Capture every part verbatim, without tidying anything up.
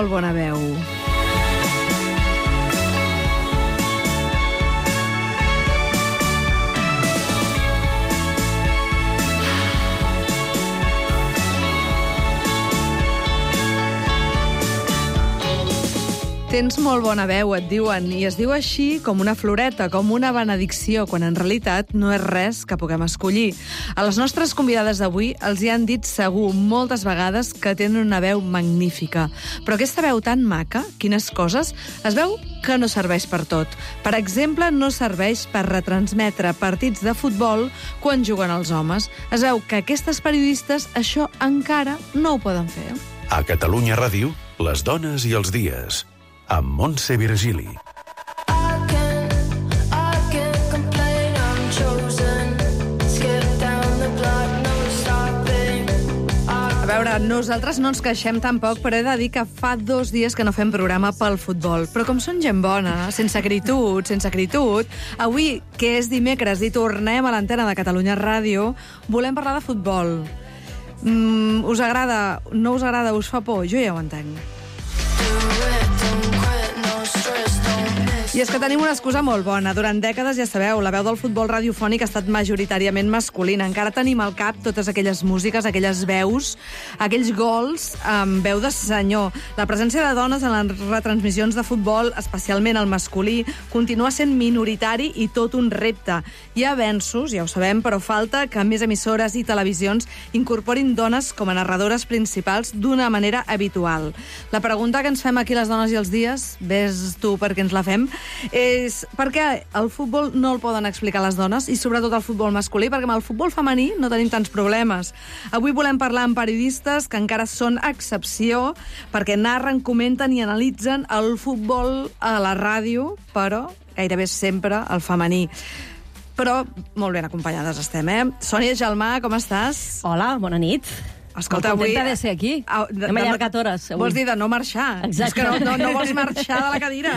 molt bona veu. Tens molt bona veu, et diuen, i es diu així com una floreta, com una benedicció, quan en realitat no és res que puguem escollir. A les nostres convidades d'avui els hi han dit segur moltes vegades que tenen una veu magnífica. Però aquesta veu tan maca, quines coses, es veu que no serveix per tot. Per exemple, no serveix per retransmetre partits de futbol quan juguen els homes. Es veu que aquestes periodistes això encara no ho poden fer. A Catalunya Ràdio, les dones i els dies, amb Montse Virgili. A veure, nosaltres no ens queixem tampoc, però he de dir que fa dos dies que no fem programa pel futbol. Però com són gent bona, sense acritud, sense acritud, avui, que és dimecres i tornem a l'antena de Catalunya Ràdio, volem parlar de futbol. Mm, us agrada? No us agrada? Us fa por? Jo ja ho entenc. I és que tenim una excusa molt bona. Durant dècades, ja sabeu, la veu del futbol radiofònic ha estat majoritàriament masculina. Encara tenim al cap totes aquelles músiques, aquelles veus, aquells gols amb veu de senyor. La presència de dones en les retransmissions de futbol, especialment el masculí, continua sent minoritari i tot un repte. Hi ha avenços, ja ho sabem, però falta que més emissores i televisions incorporin dones com a narradores principals d'una manera habitual. La pregunta que ens fem aquí les dones i els dies, ves tu perquè ens la fem, és per què el futbol no el poden explicar les dones i sobretot el futbol masculí, perquè amb el futbol femení no tenim tants problemes. Avui volem parlar amb periodistes que encara són excepció perquè narren, comenten i analitzen el futbol a la ràdio, però gairebé sempre el femení. Però molt ben acompanyades estem, eh? Sònia Gelmà, com estàs? Hola, bona nit. Escolta, molt avui... contenta de ser aquí. Ah, de, Hem de, allargat hores. Avui. Vols dir de no marxar? Exacte. És que no, no, no vols marxar de la cadira.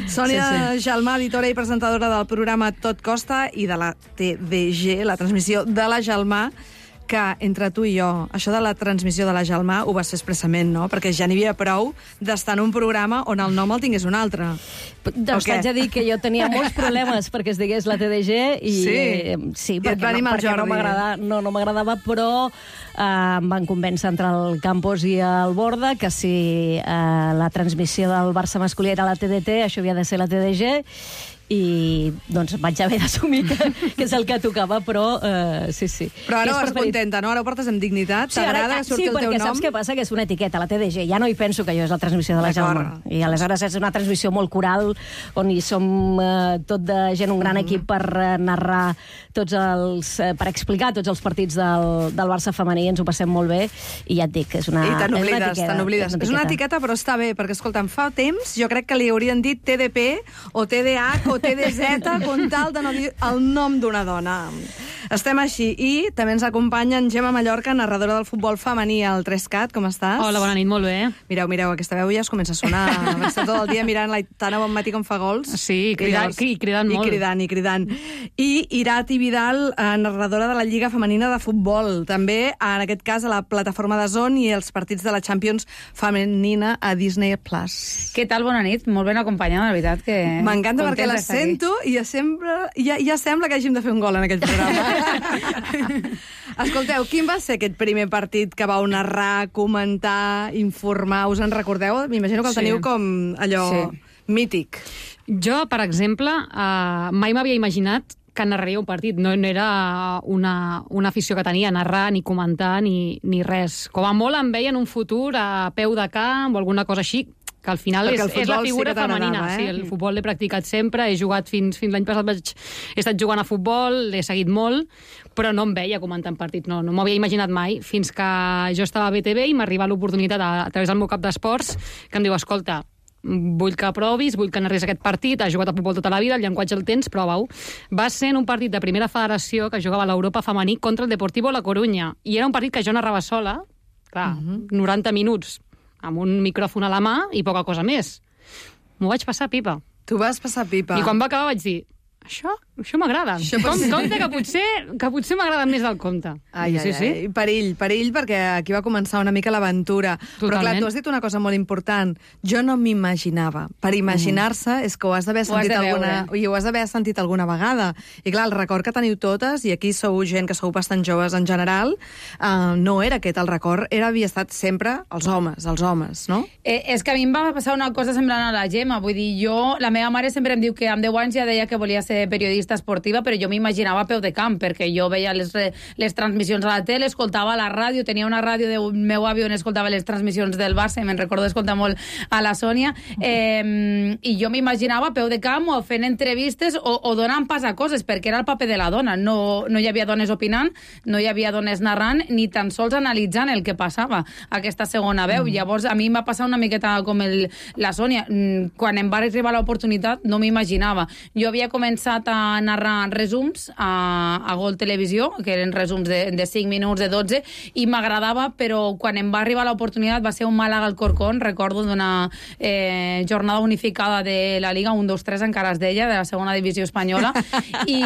Sònia Sí, sí. Gelmà, editora i presentadora del programa Tot Costa i de la T D G, la transmissió de la Gelmà, que entre tu i jo, això de la transmissió de la Gelmà ho vas fer expressament, no? Perquè ja n'hi havia prou d'estar en un programa on el nom el tingués un altre. Doncs t'haig de dir que jo tenia molts problemes perquè es digués la T D G i Sí? eh, sí, I et perquè, va no, animar el perquè no Jordi. m'agradava, no, no m'agradava, però eh, em van convèncer entre el Campos i el Borda que si eh, la transmissió del Barça masculí era la T D T, això havia de ser la T D G, i doncs vaig haver d'assumir que, que és el que tocava, però eh, sí, sí. Però ara I és vas preferit- contenta, no? Ara ho portes amb dignitat? Sí, ara, T'agrada que surti sí, el teu perquè nom? saps què passa? Que és una etiqueta, la T D G. Ja no hi penso que jo és la transmissió de la D'acord. Gelmà. I aleshores és una transmissió molt coral, on hi som eh, tot de gent, un gran Mhm. equip per eh, narrar tots els... Eh, per explicar tots els partits del, del Barça femení, ens ho passem molt bé, i ja et dic, és una, I te és una n'oblides, etiqueta. te n'oblides. És una etiqueta, però està bé, perquè, escolta, em fa temps, jo crec que li haurien dit T D P, o T D H, o T D Z, con tal de no dir el nom d'una dona. Estem així. I també ens acompanya en Gemma Mallorca, narradora del futbol femení al tres cat. Com estàs? Hola, bona nit, molt bé. Mireu, mireu, aquesta veu ja es comença a sonar. Està tot el dia mirant l'Aitana bon matí com fa gols. Sí, i cridant, llavors- i cridant molt. I cridant, i cridant. I Irati Vidal, eh, narradora de la Lliga Femenina de Futbol. També, en aquest cas, a la plataforma de Zone i els partits de la Champions Femenina a Disney Plus. Què tal? Bona nit. Molt ben acompanyada, de veritat. que M'encanta perquè contenta la d'estar aquí. sento i ja, sempre, ja, ja sembla que hàgim de fer un gol en aquest programa. Escolteu, quin va ser aquest primer partit que vau narrar, comentar, informar? Us en recordeu? M'imagino que el Sí. teniu com allò Sí. mític. Jo, per exemple, eh, mai m'havia imaginat que narraria un partit. No, no era una, una afició que tenia, narrar, ni comentar, ni, ni res. Com a molt em veia en un futur a peu de camp o alguna cosa així, que al final Perquè és, el és la futbol sí figura que t'agradava, femenina. eh? Sí, el futbol l'he practicat sempre, he jugat fins, fins l'any passat, vaig, he estat jugant a futbol, l'he seguit molt, però no em veia comentant partits, no, no m'ho havia imaginat mai, fins que jo estava a B T V i m'arriba l'oportunitat a, a través del meu cap d'esports, que em diu, escolta, vull que provis, vull que narris aquest partit, has jugat a futbol tota la vida, el llenguatge el tens, prova-ho. Va ser en un partit de primera federació que jugava a l'Europa femení contra el Deportivo La Corunya, i era un partit que jo narrava sola, clar, uh-huh. noranta minuts, amb un micròfon a la mà i poca cosa més. M'ho vaig passar pipa. Tu vas passar pipa. I quan va acabar vaig dir, Això, això m'agrada. Això Com, pot ser. compte que potser, que potser m'agrada més del compte. Ai, ai, sí, sí. ai, perill, perill, perquè aquí va començar una mica l'aventura. Però clar, Totalment. tu has dit una cosa molt important. Jo no m'imaginava. Per imaginar-se és que ho has d'haver Ho has sentit de alguna... veure. I ho has d'haver sentit alguna vegada. I clar, el record que teniu totes, i aquí sou gent que sou bastant joves en general, uh, no era aquest. El record era, havia estat sempre els homes, els homes, no? Eh, és que a mi em va passar una cosa semblant a la Gemma. Vull dir, jo, la meva mare sempre em diu que amb deu anys ja deia que volia ser periodista esportiva, però jo m'imaginava a peu de camp, perquè jo veia les, les transmissions a la tele, escoltava la ràdio, tenia una ràdio del meu avi on escoltava les transmissions del Barça, i me'n recordo d'escoltar molt a la Sònia, eh, i jo m'imaginava a peu de camp o fent entrevistes o, o donant pas a coses, perquè era el paper de la dona. No, no hi havia dones opinant, no hi havia dones narrant, ni tan sols analitzant el que passava aquesta segona veu. Mm. Llavors, a mi em va passar una miqueta com el, la Sònia. Quan em va arribar l'oportunitat, no m'imaginava. Jo havia començat a narrar resums a, a Gol Televisió, que eren resums de, de cinc minuts, de dotze, i m'agradava, però quan em va arribar l'oportunitat va ser un Màlaga al Corcón, recordo d'una eh, jornada unificada de la Liga, un, dos, tres encara es deia, de la segona divisió espanyola, i,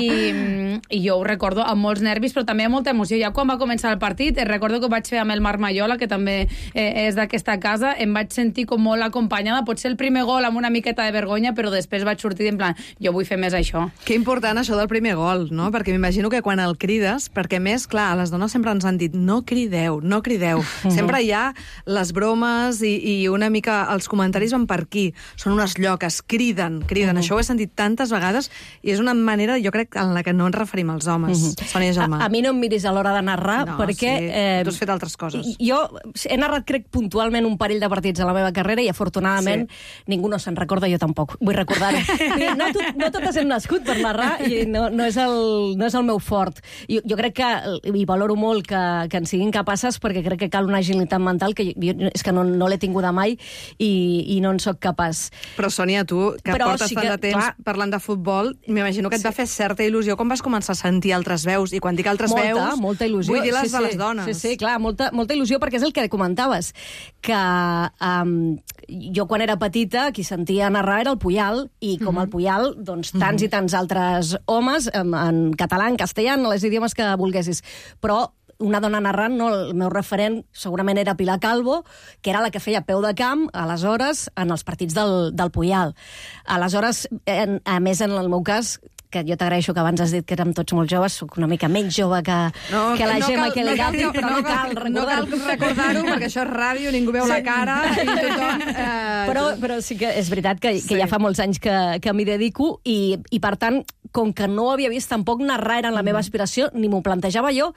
i jo ho recordo amb molts nervis, però també amb molta emoció. Ja quan va començar el partit, eh, recordo que ho vaig fer amb el Marc Maiola, que també eh, és d'aquesta casa, em vaig sentir com molt acompanyada, potser el primer gol amb una miqueta de vergonya, però després vaig sortir en plan, jo vull fer més això. Que important això del primer gol, no? Perquè m'imagino que quan el crides, perquè més, clar, a les dones sempre ens han dit no crideu, no crideu. Sempre hi ha les bromes i, i una mica els comentaris van per aquí. Són unes lloques, criden, criden. Això ho he sentit tantes vegades i és una manera, jo crec, en la que no ens referim als homes. Sònia Gelmà. A, a mi no em miris a l'hora de narrar, No, perquè... sí, eh, tu has fet altres coses. Jo he narrat, crec, puntualment un parell de partits a la meva carrera i, afortunadament, ningú no se'n recorda, jo tampoc. Vull recordar-ho. No, tot, no totes hem nascut per narrar i no, no, és, el, no és el meu fort. Jo, jo crec que, i valoro molt que, que en siguin capaces, perquè crec que cal una agilitat mental que jo, és que no, no l'he tinguda mai i, i no en sóc capaç. Però, Sònia, tu, que Però portes sí tant que, de temps clar, parlant de futbol, m'imagino que et va fer certa il·lusió quan vas començar a sentir altres veus. I quan dic altres molta, veus, molta il·lusió. vull dir les sí, de sí. les dones. Sí, sí, clar, molta, molta il·lusió, perquè és el que comentaves, que um, jo quan era petita qui sentia narrar era el Puyal, i com el Puyal, doncs tants i tants altres homes, en, en català, en castellà, en els idiomes que volguessis. Però una dona narrant, no, el meu referent segurament era Pilar Calvo, que era la que feia peu de camp, aleshores, en els partits del, del Puyal. Aleshores, en, a més, en el meu cas, que jo t'agraeixo que abans has dit que érem tots molt joves, soc una mica menys jove que, No, que la no Gemma, cal- que no el Gati, cal- però no cal No cal recordar-ho. recordar-ho, perquè això és ràdio, ningú veu la cara i tothom... Eh, Però, però sí que és veritat que, que Sí. ja fa molts anys que, que m'hi dedico i, i, per tant, com que no ho havia vist, tampoc narrar era la meva aspiració, ni m'ho plantejava jo,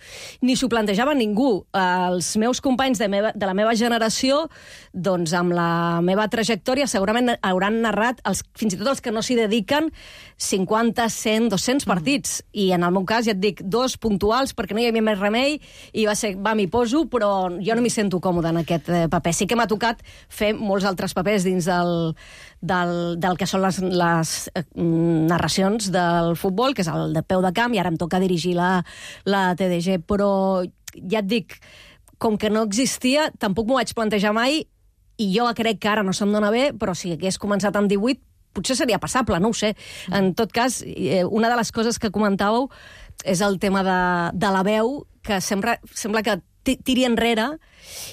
ni s'ho plantejava ningú. Els meus companys de, meva, de la meva generació, doncs amb la meva trajectòria, segurament hauran narrat, els, fins i tot els que no s'hi dediquen, cinquanta, cent, dos-cents partits. I en el meu cas, ja et dic, dos puntuals, perquè no hi havia més remei, i va ser, va, m'hi poso, però jo no m'hi sento còmode en aquest eh, paper. Sí que m'ha tocat fer molts altres papers dins del, del, del que són les, les eh, narracions del futbol, que és el de peu de camp, i ara em toca dirigir la, la T D G. Però ja et dic, com que no existia, tampoc m'ho vaig plantejar mai, i jo crec que ara no se'm dona bé, però si hagués començat amb divuit, potser seria passable, no ho sé. En tot cas, eh, una de les coses que comentàveu és el tema de, de la veu, que sembla, sembla que ti- tiri enrere,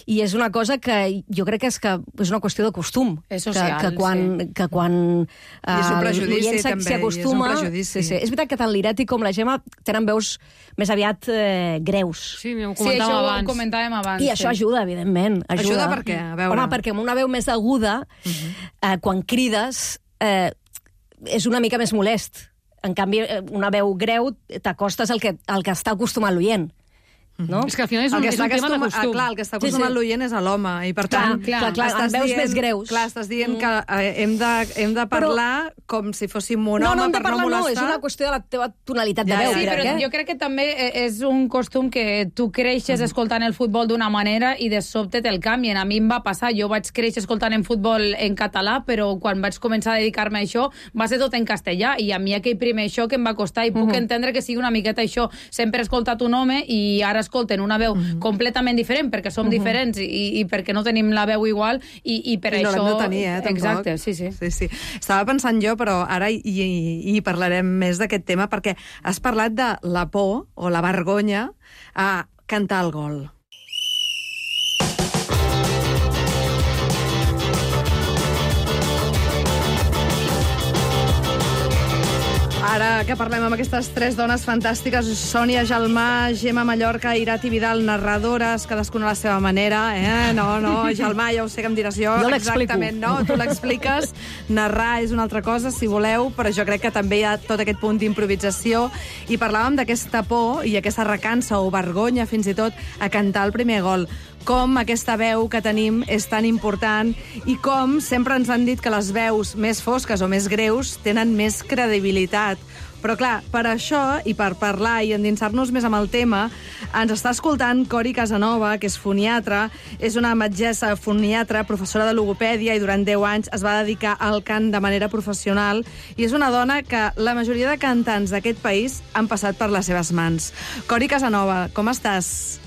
i és una cosa que jo crec que és, que és una qüestió de costum. És social, que, que quan, sí. que quan I és un eh, prejudici, l'oient s'hi- també, s'hi i és un acostuma... prejudici. Sí, sí. És veritat que tant l'Ireti com la Gemma tenen veus més aviat eh, greus. Sí, ho Sí, comentàvem això ho abans. comentàvem abans. I això sí. ajuda, evidentment. Ajuda, Ajuda per què? A veure. Home, perquè amb una veu més aguda, uh-huh. eh, quan crides, eh, és una mica més molest. En canvi, eh, una veu greu t'acostes al que, al que està acostumat l'oient. No? És que al final és El un, que és està un tema de acostuma- costum. ah, clar, el que està Sí, acostumat sí. l'oient és a l'home, i per Clar, tant... clar, clar, estàs amb veus més greus. Clar, estàs dient que eh, hem, de, hem de parlar com si fóssim un No, home no hem de per parlar, no no, molestar. és una qüestió de la teva tonalitat Ja, de veu. ja, Sí, crec, però eh? jo crec que també és un costum que tu creixes escoltant el futbol d'una manera i de sobte te'l canvien. A mi em va passar, jo vaig créixer escoltant en futbol en català, però quan vaig començar a dedicar-me a això va ser tot en castellà, i a mi aquell primer xoc em va costar, i puc entendre que sigui una miqueta això. Sempre he escoltat un home i ara escolten una veu mm. completament diferent, perquè som mm-hmm. diferents i, i perquè no tenim la veu igual, i, i per I això... I no l'hem de tenir, eh, tampoc. Exacte, sí, sí. sí, sí. Estava pensant jo, però ara hi, hi, hi parlarem més d'aquest tema, perquè has parlat de la por o la vergonya a cantar el gol. Ara que parlem amb aquestes tres dones fantàstiques, Sònia Gelmà, Gemma Mallorca, Irati Vidal, narradores, cadascuna a la seva manera, eh? No, no, Gelmà, ja ho sé que em diràs jo. Jo l'explico. Exactament, no, tu l'expliques. Narrar és una altra cosa, si voleu, però jo crec que també hi ha tot aquest punt d'improvisació. I parlàvem d'aquesta por i aquesta recança o vergonya, fins i tot, a cantar el primer gol. Com aquesta veu que tenim és tan important i com sempre ens han dit que les veus més fosques o més greus tenen més credibilitat. Però clar, per això i per parlar i endinsar-nos més amb el tema, ens està escoltant Cori Casanova, que és foniatra, és una metgessa foniatra, professora de logopèdia i durant deu anys es va dedicar al cant de manera professional i és una dona que la majoria de cantants d'aquest país han passat per les seves mans. Cori Casanova, com estàs?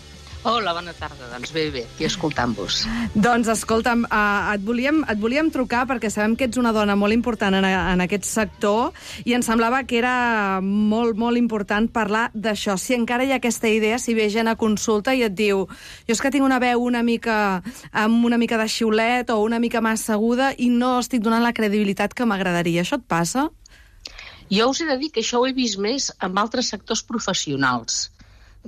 Hola, bona tarda. Doncs bé, bé, aquí escoltant-vos. Doncs escolta'm, uh, et, volíem, et volíem trucar perquè sabem que ets una dona molt important en, en aquest sector i ens semblava que era molt, molt important parlar d'això. Si encara hi ha aquesta idea, si ve gent a consulta i et diu jo és que tinc una veu una mica amb una mica de xiulet o una mica massa aguda i no estic donant la credibilitat que m'agradaria. Això et passa? Jo us he de dir que això ho he vist més en altres sectors professionals.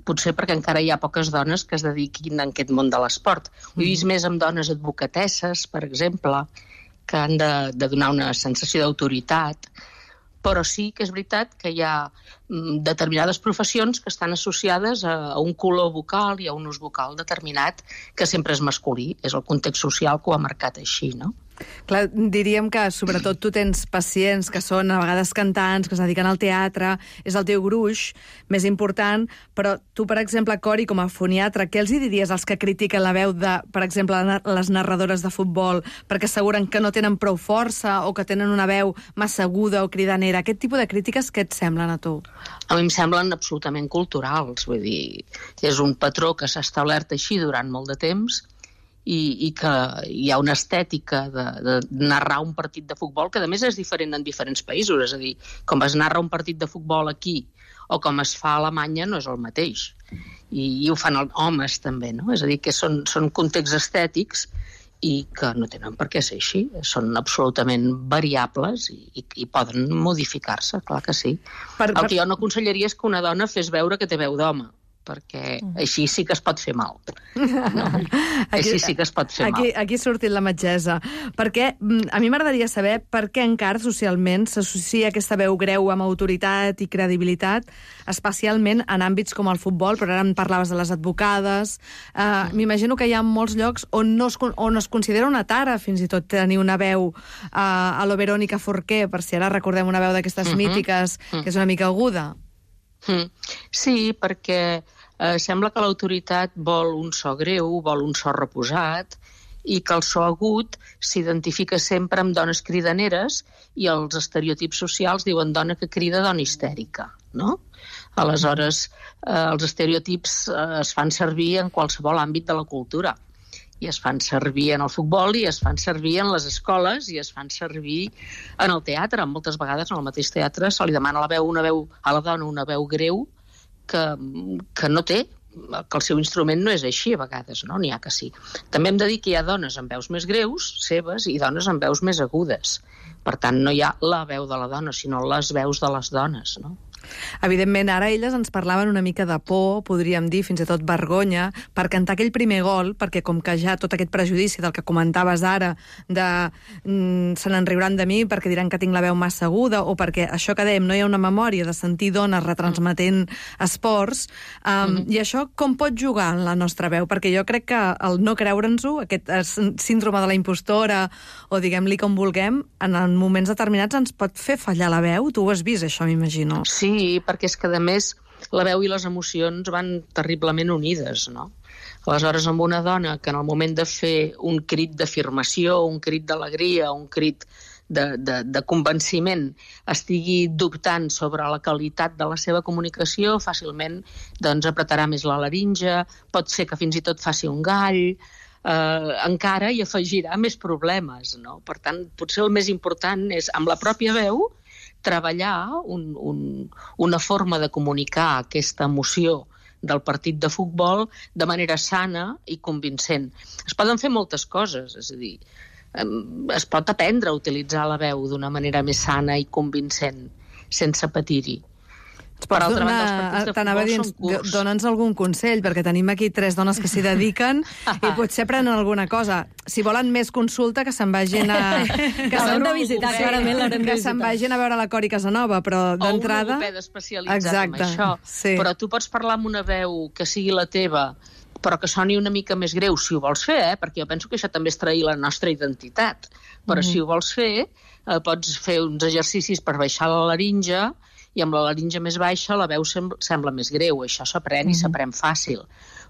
Potser perquè encara hi ha poques dones que es dediquin a aquest món de l'esport. Ho he vist més amb dones advocatesses, per exemple, que han de, de donar una sensació d'autoritat, però sí que és veritat que hi ha determinades professions que estan associades a, a un color vocal i a un ús vocal determinat que sempre és masculí. És el context social que ho ha marcat així, no? Clar, diríem que sobretot tu tens pacients que són a vegades cantants, que es dediquen al teatre, és el teu gruix més important, però tu, per exemple, Cori, com a foniatra, què els hi diries als que critiquen la veu de, per exemple, les narradores de futbol, perquè asseguren que no tenen prou força o que tenen una veu massa aguda o cridanera? Aquest tipus de crítiques, què et semblen a tu? A mi em semblen absolutament culturals, vull dir, és un patró que s'ha establert així durant molt de temps i, i que hi ha una estètica de, de narrar un partit de futbol que, a més, és diferent en diferents països. És a dir, com es narra un partit de futbol aquí o com es fa a Alemanya no és el mateix. I, i ho fan els homes, també, no? És a dir, que són, són contexts estètics i que no tenen per què ser així. Són absolutament variables i, i, i poden modificar-se, clar que sí. Per, per... El que jo no aconsellaria és que una dona fes veure que té veu d'home, perquè així sí que es pot fer mal. No? Aquí, així sí que es pot fer aquí, mal. Aquí ha sortit la metgessa. Perquè a mi m'agradaria saber per què encara socialment s'associa aquesta veu greu amb autoritat i credibilitat, especialment en àmbits com el futbol, però ara em parlaves de les advocades. Uh, M'imagino que hi ha molts llocs on, no es, on es considera una tara fins i tot tenir una veu uh, a lo Verónica Forqué, per si ara recordem una veu d'aquestes uh-huh. mítiques, uh-huh. que és una mica aguda. Mm. Sí, perquè eh, sembla que l'autoritat vol un so greu, vol un so reposat i que el so agut s'identifica sempre amb dones cridaneres i els estereotips socials diuen dona que crida, dona histèrica, no? Aleshores, eh, els estereotips eh, es fan servir en qualsevol àmbit de la cultura. I es fan servir en el futbol, i es fan servir en les escoles, i es fan servir en el teatre. Moltes vegades en el mateix teatre se li demana a la, veu una veu, a la dona una veu greu que, que no té, que el seu instrument no és així a vegades, no? N'hi ha que sí. També hem de dir que hi ha dones amb veus més greus, seves, i dones amb veus més agudes. Per tant, no hi ha la veu de la dona, sinó les veus de les dones, no? Evidentment, ara elles ens parlaven una mica de por, podríem dir, fins i tot vergonya, per cantar aquell primer gol, perquè com que ja tot aquest prejudici del que comentaves ara, de mm, se n'en riuran de mi perquè diran que tinc la veu massa aguda, o perquè això que dèiem, no hi ha una memòria de sentir dones retransmetent esports, um, mm-hmm. i això com pot jugar en la nostra veu? Perquè jo crec que el no creure'ns-ho, aquest síndrome de la impostora, o diguem-li com vulguem, en moments determinats ens pot fer fallar la veu. Tu ho has vist, això, m'imagino. Sí, Sí, perquè és que, a més, la veu i les emocions van terriblement unides, no? Aleshores, amb una dona que en el moment de fer un crit d'afirmació, un crit d'alegria, un crit de, de, de convenciment estigui dubtant sobre la qualitat de la seva comunicació, fàcilment doncs, apretarà més la laringe, pot ser que fins i tot faci un gall, eh, encara hi afegirà més problemes, no? Per tant, potser el més important és, amb la pròpia veu, treballar un, un, una forma de comunicar aquesta emoció del partit de futbol de manera sana i convincent. Es poden fer moltes coses, és a dir, es pot aprendre a utilitzar la veu d'una manera més sana i convincent, sense patir-hi. Per altra banda, els partits de futbol són curts. Dóna'ns algun consell, perquè tenim aquí tres dones que s'hi dediquen i potser prenen alguna cosa. Si volen més consulta, que se'n vagin a... Que s'han de visitar, clarament l'haurem de visitar. Que se'n vagin a veure la Cori Casanova, però d'entrada... O un logopeda especialitzat en això. Sí. Però tu pots parlar amb una veu que sigui la teva, però que soni una mica més greu, si ho vols fer, eh? Perquè jo penso que això també és trair la nostra identitat. Però mm-hmm. si ho vols fer, eh, pots fer uns exercicis per baixar la laringe, i amb la laringe més baixa la veu sembla, sembla més greu. Això s'aprèn mm-hmm. i s'aprèn fàcil.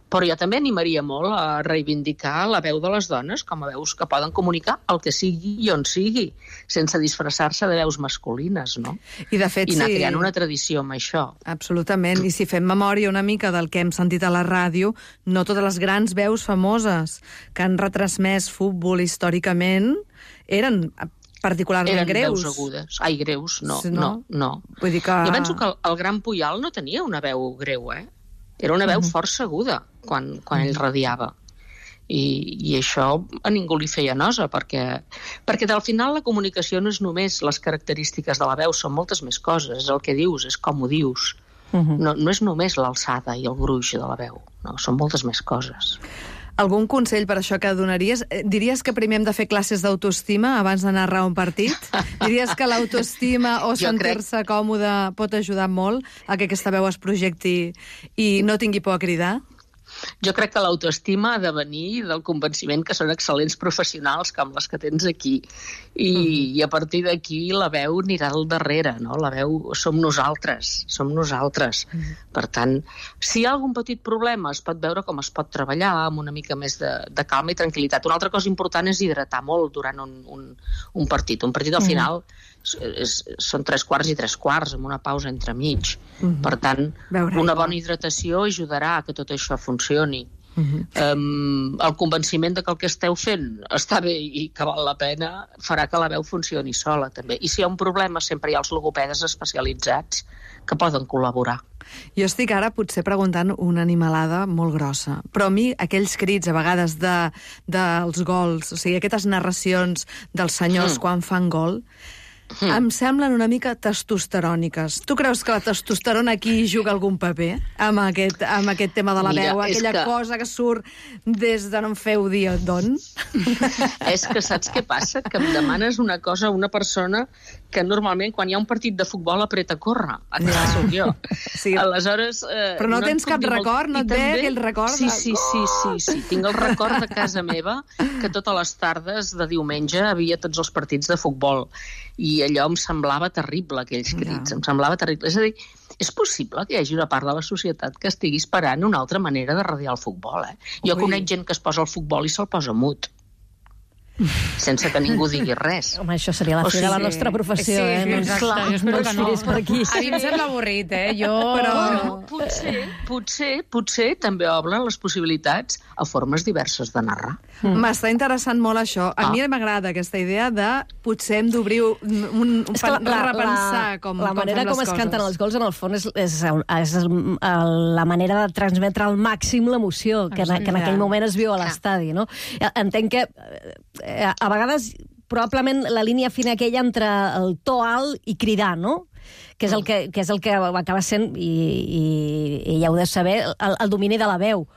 Però jo també animaria molt a reivindicar la veu de les dones com a veus que poden comunicar el que sigui i on sigui, sense disfressar-se de veus masculines, no? I, de fet, I anar sí. creant una tradició amb això. Absolutament. I si fem memòria una mica del que hem sentit a la ràdio, no totes les grans veus famoses que han retransmès futbol històricament eren particularment Eren greus. veus agudes. Ai, greus, no, Sí, no, no? no. Vull dir que... Jo penso que el, el gran Puyol no tenia una veu greu, eh? Era una veu Uh-huh. força aguda quan, quan ell radiava. I, I això a ningú li feia nosa, perquè, perquè al final la comunicació no és només les característiques de la veu, són moltes més coses. És el que dius, és com ho dius. Uh-huh. No, no és només l'alçada i el gruix de la veu, no, són moltes més coses. Algun consell per això que donaries? Diries que primer hem de fer classes d'autoestima abans de narrar un partit? Diries que l'autoestima o sentir-se crec... còmode pot ajudar molt a que aquesta veu es projecti i no tingui por a cridar? Jo crec que l'autoestima ha de venir del convenciment que són excel·lents professionals com les que tens aquí. I, uh-huh. i a partir d'aquí la veu anirà al darrere, no? La veu som nosaltres, som nosaltres. Uh-huh. Per tant, si hi ha algun petit problema es pot veure com es pot treballar amb una mica més de, de calma i tranquil·litat. Una altra cosa important és hidratar molt durant un, un, un partit. Un partit al uh-huh. final és, són tres quarts i tres quarts, amb una pausa entremig. Uh-huh. Per tant, Veure una bona hidratació ajudarà a que tot això funcioni. Uh-huh. Um, el convenciment de que el que esteu fent està bé i que val la pena farà que la veu funcioni sola, també. I si hi ha un problema, sempre hi ha els logopedes especialitzats que poden col·laborar. Jo estic ara potser preguntant una animalada molt grossa, però a mi aquells crits a vegades de, dels gols, o sigui, aquestes narracions dels senyors mm. quan fan gol, Mm. em semblen una mica testosteròniques. Tu creus que la testosterona aquí juga algun paper amb aquest, amb aquest tema de la Mira, veu, aquella que... cosa que surt des de no em feu dir d'on? És que saps què passa? Que em demanes una cosa a una persona que normalment quan hi ha un partit de futbol apreta a córrer. Aquesta ja. soc jo. Sí. Aleshores... Eh, Però no, no tens cap record? No et ve aquell record? Sí, sí, sí, sí, sí. Tinc el record de casa meva que totes les tardes de diumenge havia tots els partits de futbol. I allò em semblava terrible, aquells crits, ja. em semblava terrible. És a dir, és possible que hi hagi una part de la societat que estigui esperant una altra manera de radiar el futbol, eh? Jo Ui. conec gent que es posa al futbol i se'l posa mut, sense que ningú digui res. Home, això seria la fi de la nostra professió, sí, eh? Sí, doncs, clar, jo espero que no. Per aquí. A mi em sembla avorrit, eh? Jo... Però no, potser, potser, potser també obren les possibilitats a formes diverses de narrar. M'està interessant molt això. A ah. mi m'agrada aquesta idea de potser hem d'obrir un, un, un que la, la, repensar com, la com manera fem com les es coses. canten els gols, en el fons, és, és, és la manera de transmetre al màxim l'emoció que, en, que en aquell moment es viu a l'estadi, no? Entenc que a vegades probablement la línia fina aquella entre el to alt i cridar, no? Que és el que, que, és el que acaba sent, i, i, i ja ho deu saber, el, el domini de la veu.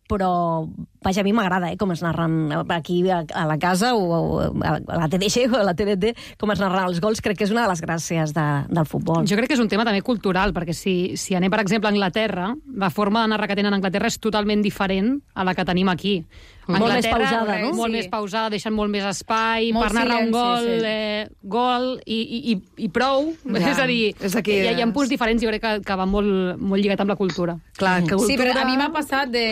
Però, vaja, a mi m'agrada, eh, com es narren aquí a, a la casa o, o a la T D G o a la T D T, com es narren els gols, crec que és una de les gràcies de, del futbol. Jo crec que és un tema també cultural, perquè si, si anem, per exemple, a Anglaterra, la forma de narrar que tenen a Anglaterra és totalment diferent a la que tenim aquí. Molt més pausada, no? Molt sí. més pausada, deixen molt més espai molt per narrar silenci, un gol, sí. eh, gol i, i, i prou. Ja, és a dir, és aquí, hi, hi ha punts diferents, jo crec que, que va molt, molt lligat amb la cultura. Clar, que cultura... Sí, però a mi m'ha passat de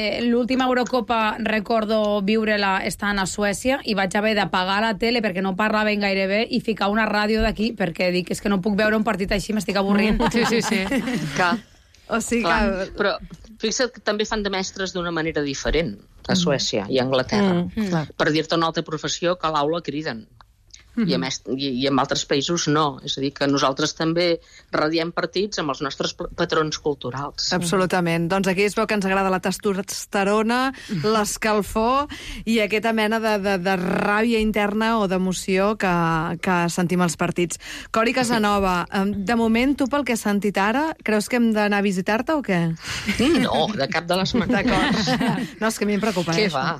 l'última Eurocopa recordo viure-la estant a Suècia i vaig haver d'apagar la tele perquè no parlaven gaire bé i ficar una ràdio d'aquí perquè dic, és que no puc veure un partit així, m'estic avorrint. Sí, sí, sí. Clar. O sigui Clar, que... però fixa't que també fan de mestres d'una manera diferent a Suècia i a Anglaterra. Mm. Per dir-te una altra professió, que a l'aula criden. Mm-hmm. I, a més, i, I en altres països no. És a dir, que nosaltres també radiem partits amb els nostres patrons culturals. Absolutament. Doncs aquí es veu que ens agrada la testosterona, l'escalfor i aquesta mena de, de, de ràbia interna o d'emoció que, que sentim als partits. Cori Casanova, de moment, tu pel que has sentit ara, creus que hem d'anar a visitar-te o què? No, de cap de les maneres. D'acord. No, és que a mi em preocupa. Què això. va?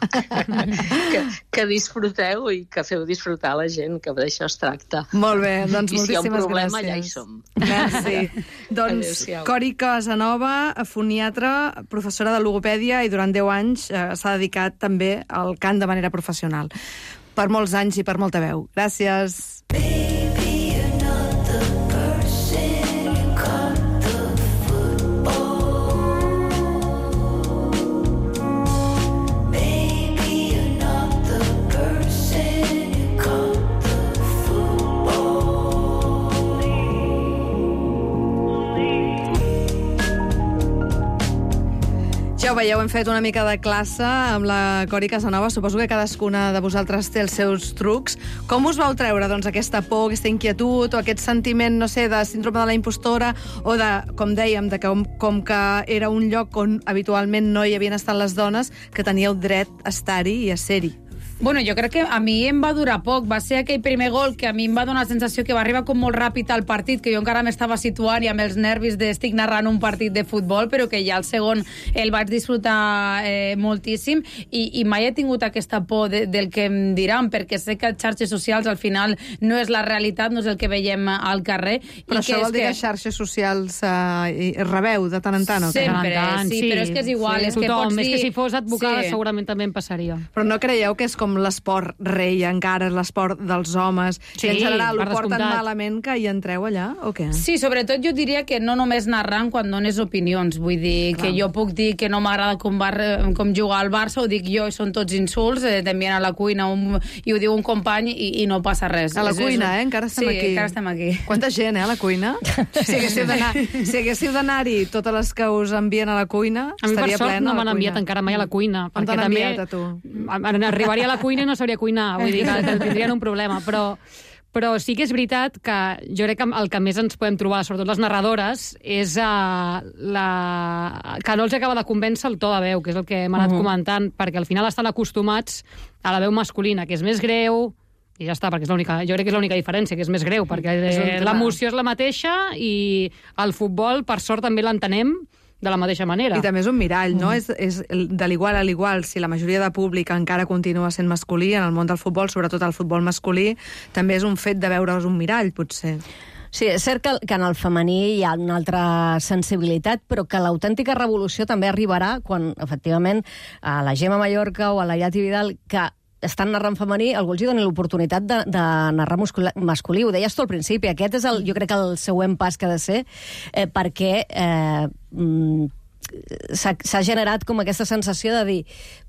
que, que disfruteu i que feu disfrutar la gent, que d'això es tracta. Molt bé, doncs I si hi ha un moltíssimes problema, gràcies. ja hi som. Merci. Doncs Adéu-siau. Cori Casanova, foniatra, professora de logopèdia i durant deu anys eh, s'ha dedicat també al cant de manera professional. Per molts anys i per molta veu. Gràcies. Ja ho veieu, hem fet una mica de classe amb la Cori Casanova. Suposo que cadascuna de vosaltres té els seus trucs. Com us vau treure, doncs, aquesta por, aquesta inquietud o aquest sentiment, no sé, de síndrome de la impostora o de, com dèiem, de que com, com que era un lloc on habitualment no hi havien estat les dones, que teníeu dret a estar-hi i a ser-hi? Bueno, jo crec que a mi em va durar poc. Va ser aquell primer gol que a mi em va donar la sensació que va arribar com molt ràpid al partit, que jo encara m'estava situant i amb els nervis d'estic narrant un partit de futbol, però que ja el segon el vaig disfrutar eh, moltíssim i, i mai he tingut aquesta por de, del que em diran, perquè sé que xarxes socials al final no és la realitat, no és el que veiem al carrer. Però i això que vol dir que xarxes socials eh, rebeu de tant en tant, o què? Sempre, tant, sí, però és que és igual. Sí, és que tothom, pots dir... és que si fos advocada Sí. segurament també em passaria. Però no creieu que és com l'esport rei encara, l'esport dels homes, Sí, i en general ho per porten descomptat. malament que hi entreu allà, o què? Sí, sobretot jo diria que no només narrant quan dones opinions, vull dir que jo puc dir que no m'agrada com, bar, com jugar al Barça, ho dic jo i són tots insults, eh, t'envien a la cuina un, i ho diu un company i, i no passa res. A la És- cuina, és- eh? Encara estem sí, aquí. encara estem aquí. Quanta gent, eh, a la cuina? Si haguéssiu d'anar- si haguéssiu d'anar-hi totes les que us envien a la cuina, A mi, per estaria sort, plena no la m'han cuina. enviat encara mai a la cuina. On perquè t'han també enviat, a tu? a- Arribaria a la cuina i no sabria cuinar. Vull dir que tindrien un problema. Però, però sí que és veritat que jo crec que el que més ens podem trobar, sobretot les narradores, és uh, la... que no els acaba de convèncer el to de veu, que és el que hem anat uh -huh. comentant, perquè al final estan acostumats a la veu masculina, que és més greu, i ja està, perquè és l'única, jo crec que és l'única diferència, que és més greu, perquè eh, l'emoció és la mateixa i el futbol, per sort, també l'entenem de la mateixa manera. I també és un mirall, no? Mm. És, és de l'igual a l'igual. Si la majoria de públic encara continua sent masculí en el món del futbol, sobretot el futbol masculí, també és un fet de veure's un mirall, potser. Sí, és cert que, que en el femení hi ha una altra sensibilitat, però que l'autèntica revolució també arribarà quan, efectivament, a la Gemma Mallorca o a la Iati Vidal, que estan narrant femení, algú els hi doni l'oportunitat de, de narrar muscul- masculí. Ho deies tu al principi, aquest és, el, jo crec, el següent pas que ha de ser, eh, perquè eh, mm, s'ha generat com aquesta sensació de dir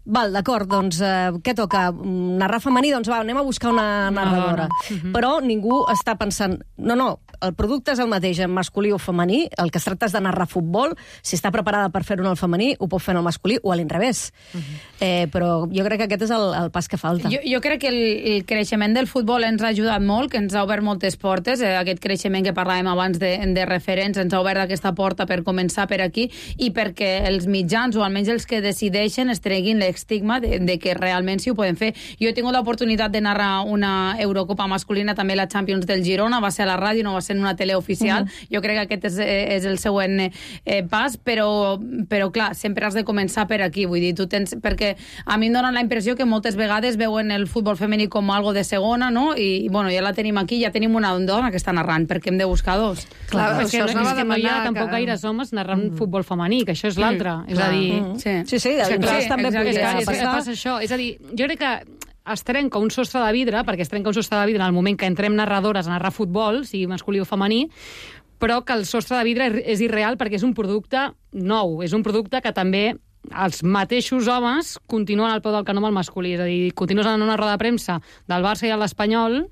val, d'acord, doncs eh, què toca? Narrar femení? Doncs va, anem a buscar una narradora. Uh-huh. Però ningú està pensant, no, no, el producte és el mateix en masculí o femení, el que es tracta és de narrar futbol, si està preparada per fer-ho en el femení, ho pot fer en el masculí o a l'inrevés. Uh-huh. eh, però jo crec que aquest és el, el pas que falta. Jo, jo crec que el, el creixement del futbol ens ha ajudat molt, que ens ha obert moltes portes, eh, aquest creixement que parlàvem abans de, de referents, ens ha obert aquesta porta per començar per aquí, i perquè els mitjans, o almenys els que decideixen, es treguin l'estigma de, de que realment sí ho poden fer. Jo he tingut l'oportunitat de narrar una Eurocopa masculina, també la Champions del Girona, va ser a la ràdio, no va ser en una tele oficial. Uh-huh. Jo crec que aquest és, és el següent eh, pas, però, però clar, sempre has de començar per aquí, vull dir, tu tens, perquè a mi em dona la impressió que moltes vegades veuen el futbol femení com algo de segona, no? I, bueno, ja la tenim aquí, ja tenim una dona que està narrant, perquè hem de buscar dos. Clar, Clar, és que, això és s'anava a que no hi ha demanar tampoc que- gaires homes narrant mm. futbol femení, que això és l'altre. Mm. És Clar. a dir... Mm. Sí. Sí, sí, de Sí, l'inrevés clar, també exacte, podria és, és, passar. passa això. És a dir, jo crec que es trenca un sostre de vidre, perquè es trenca un sostre de vidre en el moment que entrem narradores a narrar futbol, sigui masculí o femení, però que el sostre de vidre és irreal perquè és un producte nou, és un producte que també els mateixos homes continuen al peu del canó amb el masculí. És a dir, continuen en una roda de premsa del Barça i l'Espanyol,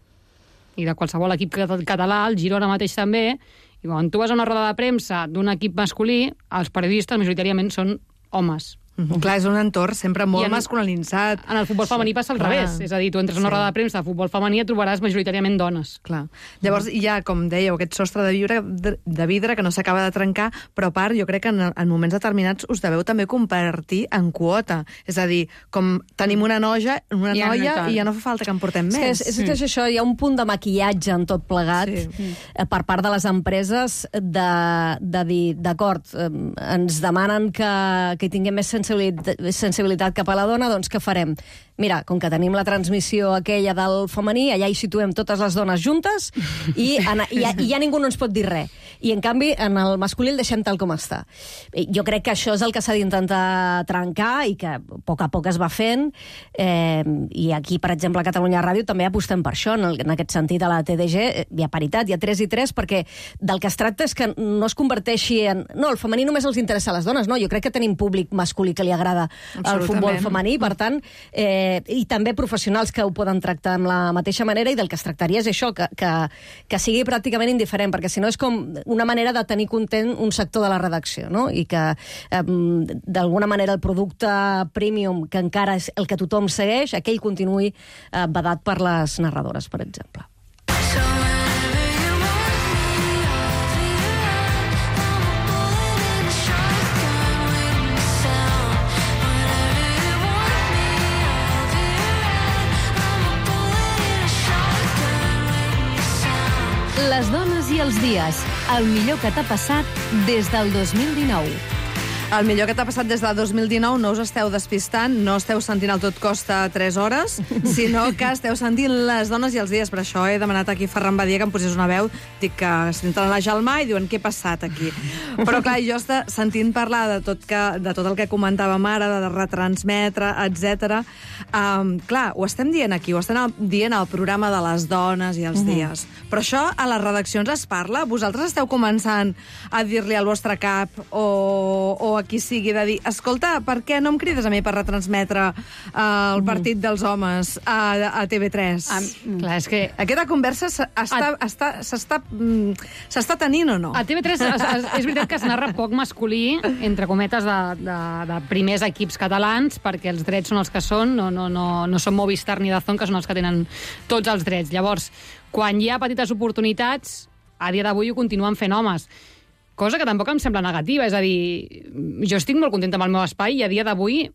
i de qualsevol equip català, el Girona mateix també, i quan tu vas a una roda de premsa d'un equip masculí, els periodistes majoritàriament són homes. Mm-hmm. Clar, és un entorn sempre molt en, masculinitzat. En el futbol femení passa al Clar. revés. És a dir, tu entres en una Sí. roda de premsa de futbol femení i et trobaràs majoritàriament dones. Clar. Llavors hi ha, com dèieu, aquest sostre de vidre, de, de vidre que no s'acaba de trencar, però a part jo crec que en, en moments determinats us deveu també compartir en quota. És a dir, com tenim una noia, una Ja no noia tal. i ja no fa falta que en portem És, més. és, és, és això, hi ha un punt de maquillatge en tot plegat Sí. eh, per part de les empreses de, de dir, d'acord, eh, ens demanen que, que tinguem més sensibilitat, sensibilitat cap a la dona, doncs què farem? Mira, com que tenim la transmissió aquella del femení, allà hi situem totes les dones juntes i, en, i, ja, i ja ningú no ens pot dir res. I, en canvi, en el masculí el deixem tal com està. Jo crec que això és el que s'ha d'intentar trencar i que a poc a poc es va fent. Eh, I aquí, per exemple, a Catalunya Ràdio també apostem per això. En, el, en aquest sentit, a la T D G hi ha paritat, hi ha tres i tres, perquè del que es tracta és que no es converteixi en... No, el femení només els interessa a les dones, no. Jo crec que tenim públic masculí que li agrada el futbol femení, per tant, eh, i també professionals que ho poden tractar amb la mateixa manera, i del que es tractaria és això, que, que, que sigui pràcticament indiferent, perquè si no és com una manera de tenir content un sector de la redacció, no? I que eh, d'alguna manera el producte premium, que encara és el que tothom segueix, aquell continuï eh, vedat per les narradores, per exemple. Les dones i els dies. El millor que t'ha passat des del dos mil dinou. El millor que t'ha passat des del dos mil dinou, no us esteu despistant, no esteu sentint el Tot costa tres hores, sinó que esteu sentint les dones i els dies. Per això he demanat aquí a Ferran Badia que em posés una veu. Dic que senten la Gelmà i diuen què ha passat aquí. Però clar, jo està sentint parlar de tot, que, de tot el que comentàvem ara, de retransmetre, etcètera. Um, clar, ho estem dient aquí, ho estem dient al programa de les dones i els uh-huh. dies. Però això a les redaccions es parla? Vosaltres esteu començant a dir-li al vostre cap o, o a qui sigui de dir, escolta, per què no em crides a mi per retransmetre uh, el partit dels homes a, a T V tres? Ah, clar, és que... Aquesta conversa s'està està, s'està mm, s'està tenint o no? A T V tres es, es, és veritat que es narra poc masculí, entre cometes, de, de, de primers equips catalans, perquè els drets són els que són, no, no, no, no són Movistar ni Dazón, que són els que tenen tots els drets. Llavors, quan hi ha petites oportunitats, a dia d'avui ho continuen fent homes. Cosa que tampoc em sembla negativa, és a dir, jo estic molt contenta amb el meu espai i a dia d'avui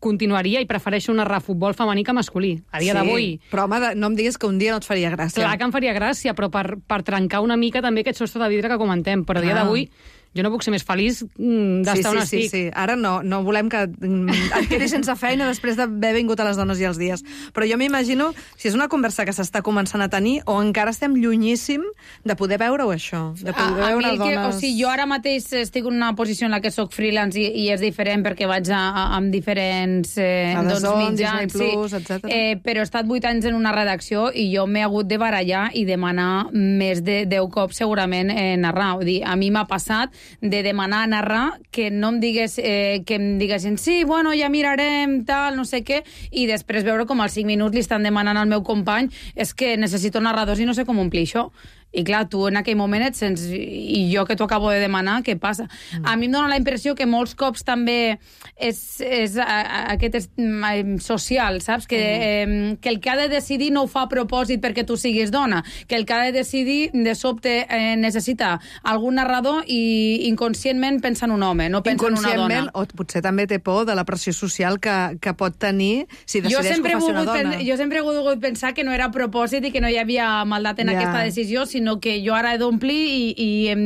continuaria i prefereixo narrar futbol femení que masculí. A dia sí, d'avui... Però, home, no em diguis que un dia no et faria gràcia. Clar que em faria gràcia, però per, per trencar una mica també aquest sostre de vidre que comentem. Però a dia d'avui jo no puc ser més feliç d'estar sí, sí, on sí, estic. Sí, sí. Ara no, no volem que et quedis sense feina després d'haver vingut a les dones i els dies. Però jo m'imagino si és una conversa que s'està començant a tenir o encara estem llunyíssim de poder veure-ho, això. De poder a, a veure mi que, dones... o sigui, jo ara mateix estic en una posició en la que soc freelance i, i és diferent perquè vaig a, a, amb diferents eh, a doncs, Dazón, mitjans, Disney Plus, sí. etcètera. Eh, però he estat vuit anys en una redacció i jo m'he hagut de barallar i demanar més de deu cops segurament eh, narrar. Vull dir, a mi m'ha passat de demanar a narrar que no em digués, eh, que em diguessin sí, bueno, ja mirarem, tal, no sé què, i després veure com als cinc minuts li estan demanant al meu company és que necessito narradors i no sé com omplir això. I clar, tu en aquell moment et sents... I jo que t'ho acabo de demanar, què passa? Mm. A mi em dóna la impressió que molts cops també és, és a, a, aquest és, mm, social, saps? Que, mm. eh, que el que ha de decidir no ho fa a propòsit perquè tu siguis dona. Que el que ha de decidir, de sobte, eh, necessita algun narrador i inconscientment pensa en un home, no pensa en una dona. O potser també té por de la pressió social que, que pot tenir si decideix que ho faci una dona. Pen, jo sempre he volgut pensar que no era a propòsit i que no hi havia maldat en yeah. aquesta decisió, sinó que jo ara he d'omplir i, i em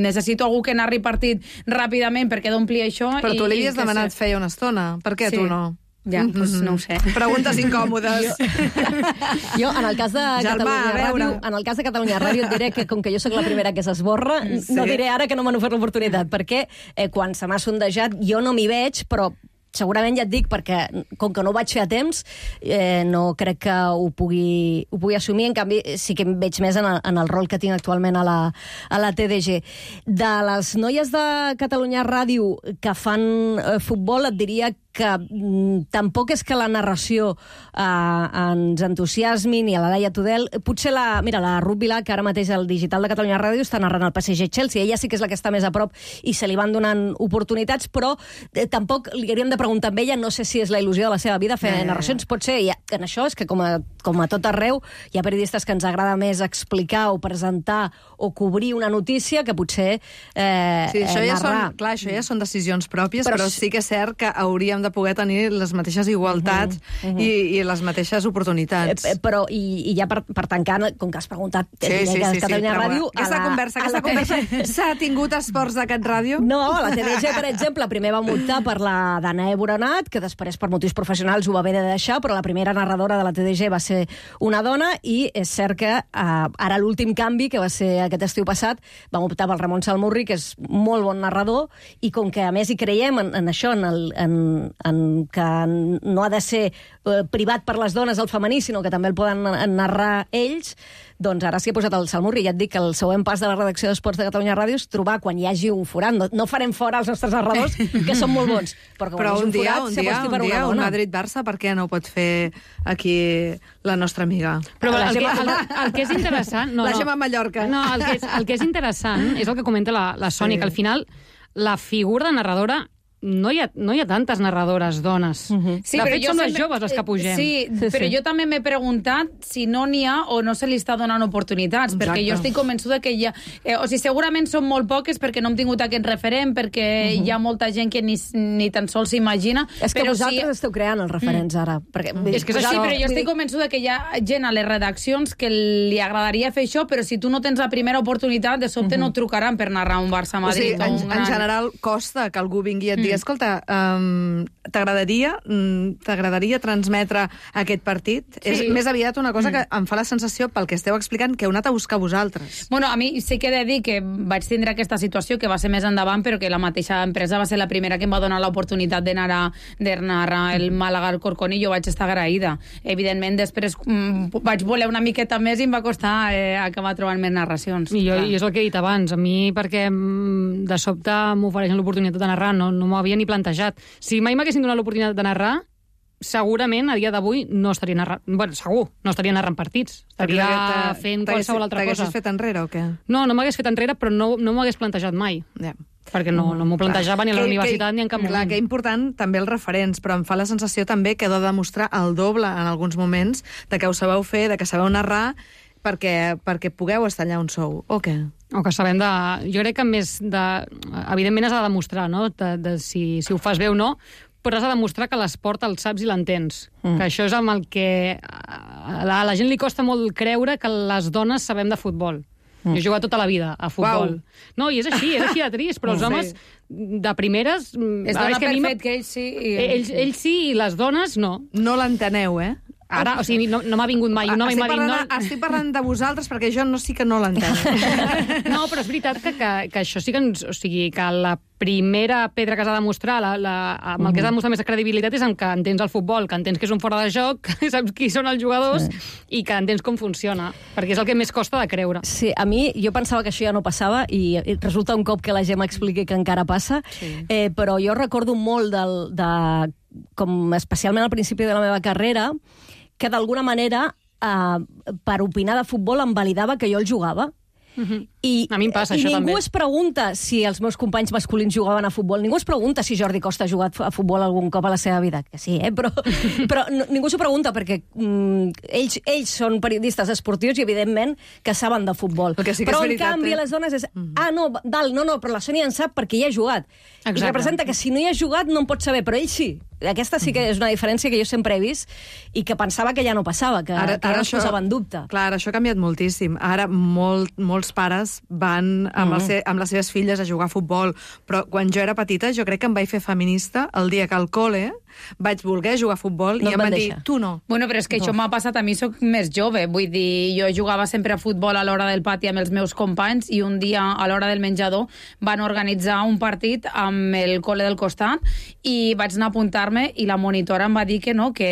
necessito algú que narri partit ràpidament perquè he d'omplir això. Però tu i, li havies i demanat sé. feia una estona. Per què sí. tu no? Ja, doncs pues no ho sé. Preguntes incòmodes. Jo, jo, en el cas de Germà, Catalunya Ràdio, en el cas de Catalunya Ràdio et diré que com que jo sóc la primera que s'esborra, sí. no diré ara que no m'han ofert l'oportunitat, perquè eh, quan se m'ha sondejat jo no m'hi veig, però segurament ja et dic, perquè com que no ho vaig fer a temps, eh, no crec que ho pugui, ho pugui assumir. En canvi, sí que em veig més en el, en el rol que tinc actualment a la, a la T D G. De les noies de Catalunya Ràdio que fan eh, futbol, et diria que mm, tampoc és que la narració eh, ens entusiasmi, ni a la Laia Tudel. Potser la, mira, la Ruth Vilà, que ara mateix al Digital de Catalunya Ràdio està narrant el P S G-Chelsea, ella sí que és la que està més a prop i se li van donant oportunitats, però eh, tampoc li hauríem de preguntar amb ella, no sé si és la il·lusió de la seva vida fer eh. narracions, pot ser, i en això és que com a, com a tot arreu hi ha periodistes que ens agrada més explicar o presentar o cobrir una notícia que potser eh, sí, això eh, ja narrar. Són, clar, això ja són decisions pròpies, però, però sí que és cert que hauríem de poder tenir les mateixes igualtats uh -huh, uh -huh. I, i les mateixes oportunitats. Eh, però, i, i ja per, per tancar, com que has preguntat, sí, sí, sí, sí, Catalunya sí, Ràdio... Aquesta la, conversa, aquesta conversa s'ha tingut esports de Cat Ràdio? No, a la T D G, per exemple, primer va optar per la Danae Boronat, que després per motius professionals ho va haver de deixar, però la primera narradora de la T D G va ser una dona, i és cert que eh, ara l'últim canvi, que va ser aquest estiu passat, vam optar pel Ramon Salmurri, que és molt bon narrador, i com que a més hi creiem en, en això, en, el, en, en que no ha de ser eh, privat per les dones el femení, sinó que també el poden narrar ells, doncs ara s'hi ha posat el Salmurri. Ja et dic que el següent pas de la redacció d'Esports de Catalunya Ràdio és trobar quan hi hagi un forat. No, no farem fora els nostres narradors, que són molt bons, però, però un, un dia, forat, un dia, un dia, un Madrid-Barça, per què no ho pot fer aquí la nostra amiga? Però el, el, que, el, el que és interessant... No, la no, Gemma Mallorca. No, el que és, el que és interessant és el que comenta la, la Sònia, sí. Que al final la figura de narradora no hi ha, no hi ha tantes narradores dones. Uh-huh. Sí, de fet, són les joves les que pugem. Sí, sí però sí. Jo també m'he preguntat si no n'hi ha o no se li està donant oportunitats, Exacte. Perquè jo estic convençuda que hi ha... Eh, o sigui, segurament són molt poques perquè no hem tingut aquest referent, perquè uh-huh. hi ha molta gent que ni, ni tan sols s'imagina. És que però vosaltres si... esteu creant els referents mm. ara. Perquè, mm. És que és això. Sí, però jo estic convençuda que hi ha gent a les redaccions que li agradaria fer això, però si tu no tens la primera oportunitat, de sobte uh-huh. no et trucaran per narrar un Barça-Madrid. O sigui, en, en general costa que algú vingui i et digui, mm. escolta, um, t'agradaria t'agradaria transmetre aquest partit? Sí. És més aviat una cosa que em fa la sensació, pel que esteu explicant, que heu anat a buscar vosaltres. Bueno, a mi sí que he de dir que vaig tindre aquesta situació, que va ser més endavant, però que la mateixa empresa va ser la primera que em va donar l'oportunitat de narrar, de narrar el Màlaga al Corcón, i jo vaig estar agraïda. Evidentment, després mm, vaig voler una miqueta més i em va costar eh, acabar trobant més narracions. I, jo, I és el que he dit abans. A mi, perquè de sobte m'ofereixen l'oportunitat de narrar, no, no m'ho havia ni plantejat. Si mai m'haguessin donat l'oportunitat de narrar, segurament a dia d'avui no estaria narrant... Bueno, segur, no estaria narrant partits. Estaria fent qualsevol altra cosa. T'haguessis fet enrere o què? No, no m'hagués fet enrere, però no, no m'ho hagués plantejat mai. Ja. Perquè no, no m'ho plantejava ni a la que, universitat que, ni en cap moment. Clar, que important també els referents, però em fa la sensació també que heu de demostrar el doble en alguns moments de que ho sabeu fer, de que sabeu narrar, perquè, perquè pugueu estar allà on sou, o què? O que sabem de... Jo crec que més de... Evidentment has de demostrar, no?, de, de si, si ho fas bé o no, però has de demostrar que l'esport el saps i l'entens. Mm. Que això és amb el que... A la, a la gent li costa molt creure que les dones sabem de futbol. Mm. Jo he jugat tota la vida a futbol. Uau. No, i és així, és així de trist, però els homes sí. de primeres... Es dona per fet que ells sí... I... Ells, ells sí i les dones no. No l'enteneu, eh? Ara, o sigui, no, no m'ha vingut mai un home i m'ha dit... No... Estic parlant de vosaltres perquè jo no sí que no l'entenc. No, però és veritat que, que, que això sí que ens... O sigui, que la primera pedra que has de demostrar, la, la, amb el que has de demostrar més credibilitat és amb que entens el futbol, que entens que és un fora de joc, que saps qui són els jugadors sí. i que entens com funciona, perquè és el que més costa de creure. Sí, a mi, jo pensava que això ja no passava i resulta un cop que la Gemma expliqui que encara passa, sí. eh, però jo recordo molt del, de, com especialment al principi de la meva carrera, que d'alguna manera, eh, per opinar de futbol, em validava que jo el jugava. Uh-huh. I, a mi em passa i això ningú també. es pregunta si els meus companys masculins jugaven a futbol, ningú es pregunta si Jordi Costa ha jugat a futbol algun cop a la seva vida, que sí, eh? però, però no, ningú s'ho pregunta perquè mm, ells, ells són periodistes esportius i evidentment que saben de futbol. Sí però en veritat, canvi eh? les dones és, uh-huh. ah no, dalt, no, no, però la Sònia en sap perquè hi ha jugat. Exacte. I representa que si no hi ha jugat no en pot saber, però ell sí. Aquesta sí que és una diferència que jo sempre he vist i que pensava que ja no passava, que ara, que ara es posava en dubte. Clar, això ha canviat moltíssim. Ara molt, molts pares van amb, mm. el, amb les seves filles a jugar a futbol, però quan jo era petita jo crec que em vaig fer feminista el dia que al col·le vaig voler jugar a futbol No i et em van van dir, deixar. tu no. Bueno, però és que això m'ha passat a mi, soc més jove. Vull dir, jo jugava sempre a futbol a l'hora del pati amb els meus companys i un dia, a l'hora del menjador, van organitzar un partit amb el col·le del costat i vaig anar a apuntar-me i la monitora em va dir que no, que,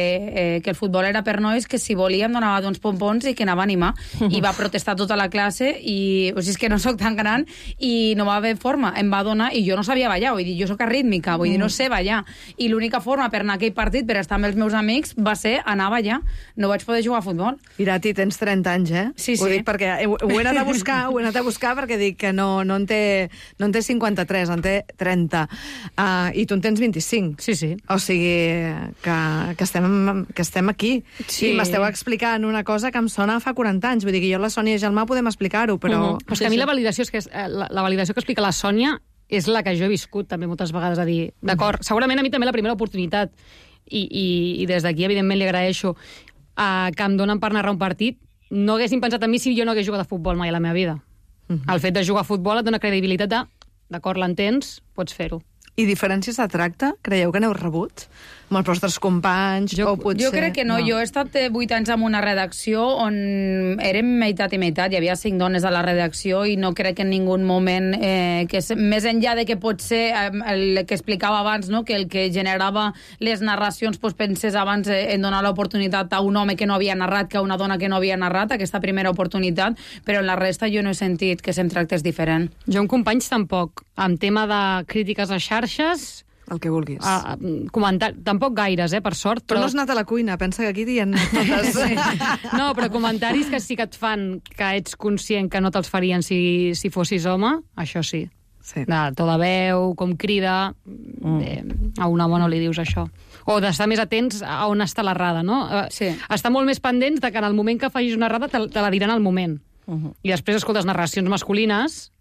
eh, que el futbol era per nois, que si volia em donava d'uns pompons i que anava a animar. I va protestar tota la classe i, o sigui, és que no sóc tan gran i no va haver forma. Em va donar, i jo no sabia ballar, vull dir, jo sóc arrítmica, vull dir, no sé ballar. I l'única forma per anar a aquell partit, per estar amb els meus amics, va ser anar a ballar. No vaig poder jugar a futbol. Irati, tens trenta anys, eh? Sí, Ho sí. dic perquè ho, ho he anat a buscar, ho he anat a buscar perquè dic que no, no, en, té, no en té cinquanta-tres, en té trenta. Uh, I tu en tens vint-i-cinc. Sí, sí. O sigui, que, que, estem, que estem aquí. Sí. I m'esteu explicant una cosa que em sona fa quaranta anys. Vull dir que jo i la Sònia Gelmà podem explicar-ho, però... Uh -huh. Però és que a mi la validació, és que és, la, la validació que explica la Sònia és la que jo he viscut també moltes vegades, a dir, d'acord, segurament a mi també la primera oportunitat, i, i, i des d'aquí evidentment li agraeixo uh, que em donen per narrar un partit. No haguessin pensat en mi si jo no hagués jugat a futbol mai a la meva vida. Uh -huh. El fet de jugar a futbol et dona credibilitat de, d'acord, l'entens, pots fer-ho. I diferències de tracte? Creieu que n'heu rebut? Amb els vostres companys? Jo- o potser... Jo crec que no. no. Jo he estat vuit anys en una redacció on érem meitat i meitat. Hi havia cinc dones a la redacció i no crec que en ningú moment, eh, que és, més enllà de que pot ser eh, el que explicava abans, no? Que el que generava les narracions pues, pensés abans eh, en donar l'oportunitat a un home que no havia narrat que a una dona que no havia narrat, aquesta primera oportunitat, però en la resta jo no he sentit que se'm tractés diferent. Jo amb companys tampoc. En tema de crítiques a xarxes, El que vulguis. a, a, comentar... tampoc gaires, eh, per sort. Però no has anat a la cuina, pensa que aquí dient totes... No, però comentaris que sí que et fan que ets conscient que no te'ls farien si, si fossis home, això sí. Sí. De to de veu, com crida... Mm. Eh, a un home no li dius això. O d'estar més atents a on està l'errada, no? Eh, Sí. Estar molt més pendents de que en el moment que facis una errada te, te la diran al moment. Uh-huh. I després escoltes narracions masculines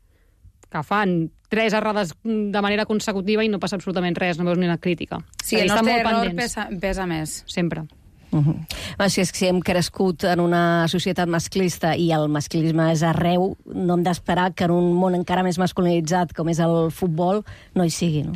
que fan tres errades de manera consecutiva i no passa absolutament res, no veus ni una crítica. Sí, És a dir, el estan nostre molt error pendents, pesa, pesa més. sempre. Uh-huh. Bueno, si és que si hem crescut en una societat masclista i el masclisme és arreu, no hem d'esperar que en un món encara més masculinitzat com és el futbol no hi sigui, no?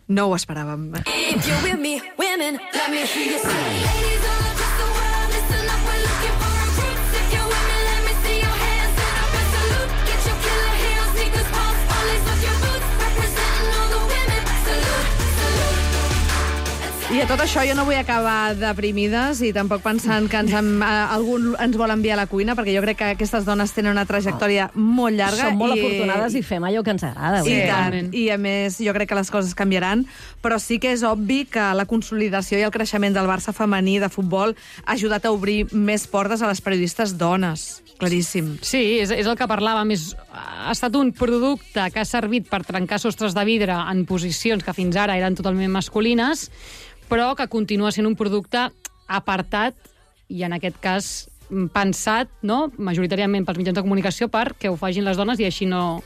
No ho esperàvem. If you're with me, women, let me hear you say. Ladies all across the world, listen up, we're looking for recruits. If you're with me, let me see your hands and up and salute. Get your killer heels, sneakers, pumps, all lace up your boots. Representing all the women, salute, salute. I a tot això jo no vull acabar deprimides i tampoc pensant que ens, em, algú ens vol enviar a la cuina, perquè jo crec que aquestes dones tenen una trajectòria molt llarga. Som molt i... afortunades i fem allò que ens agrada. I vull dir. tant. I a més, jo crec que les coses canviaran, però sí que és obvi que la consolidació i el creixement del Barça femení de futbol ha ajudat a obrir més portes a les periodistes dones. Claríssim. Sí, és, és el que parlàvem. És, ha estat un producte que ha servit per trencar sostres de vidre en posicions que fins ara eren totalment masculines, però que continua sent un producte apartat i, en aquest cas, pensat, no?, majoritàriament pels mitjans de comunicació perquè ho facin les dones i així no,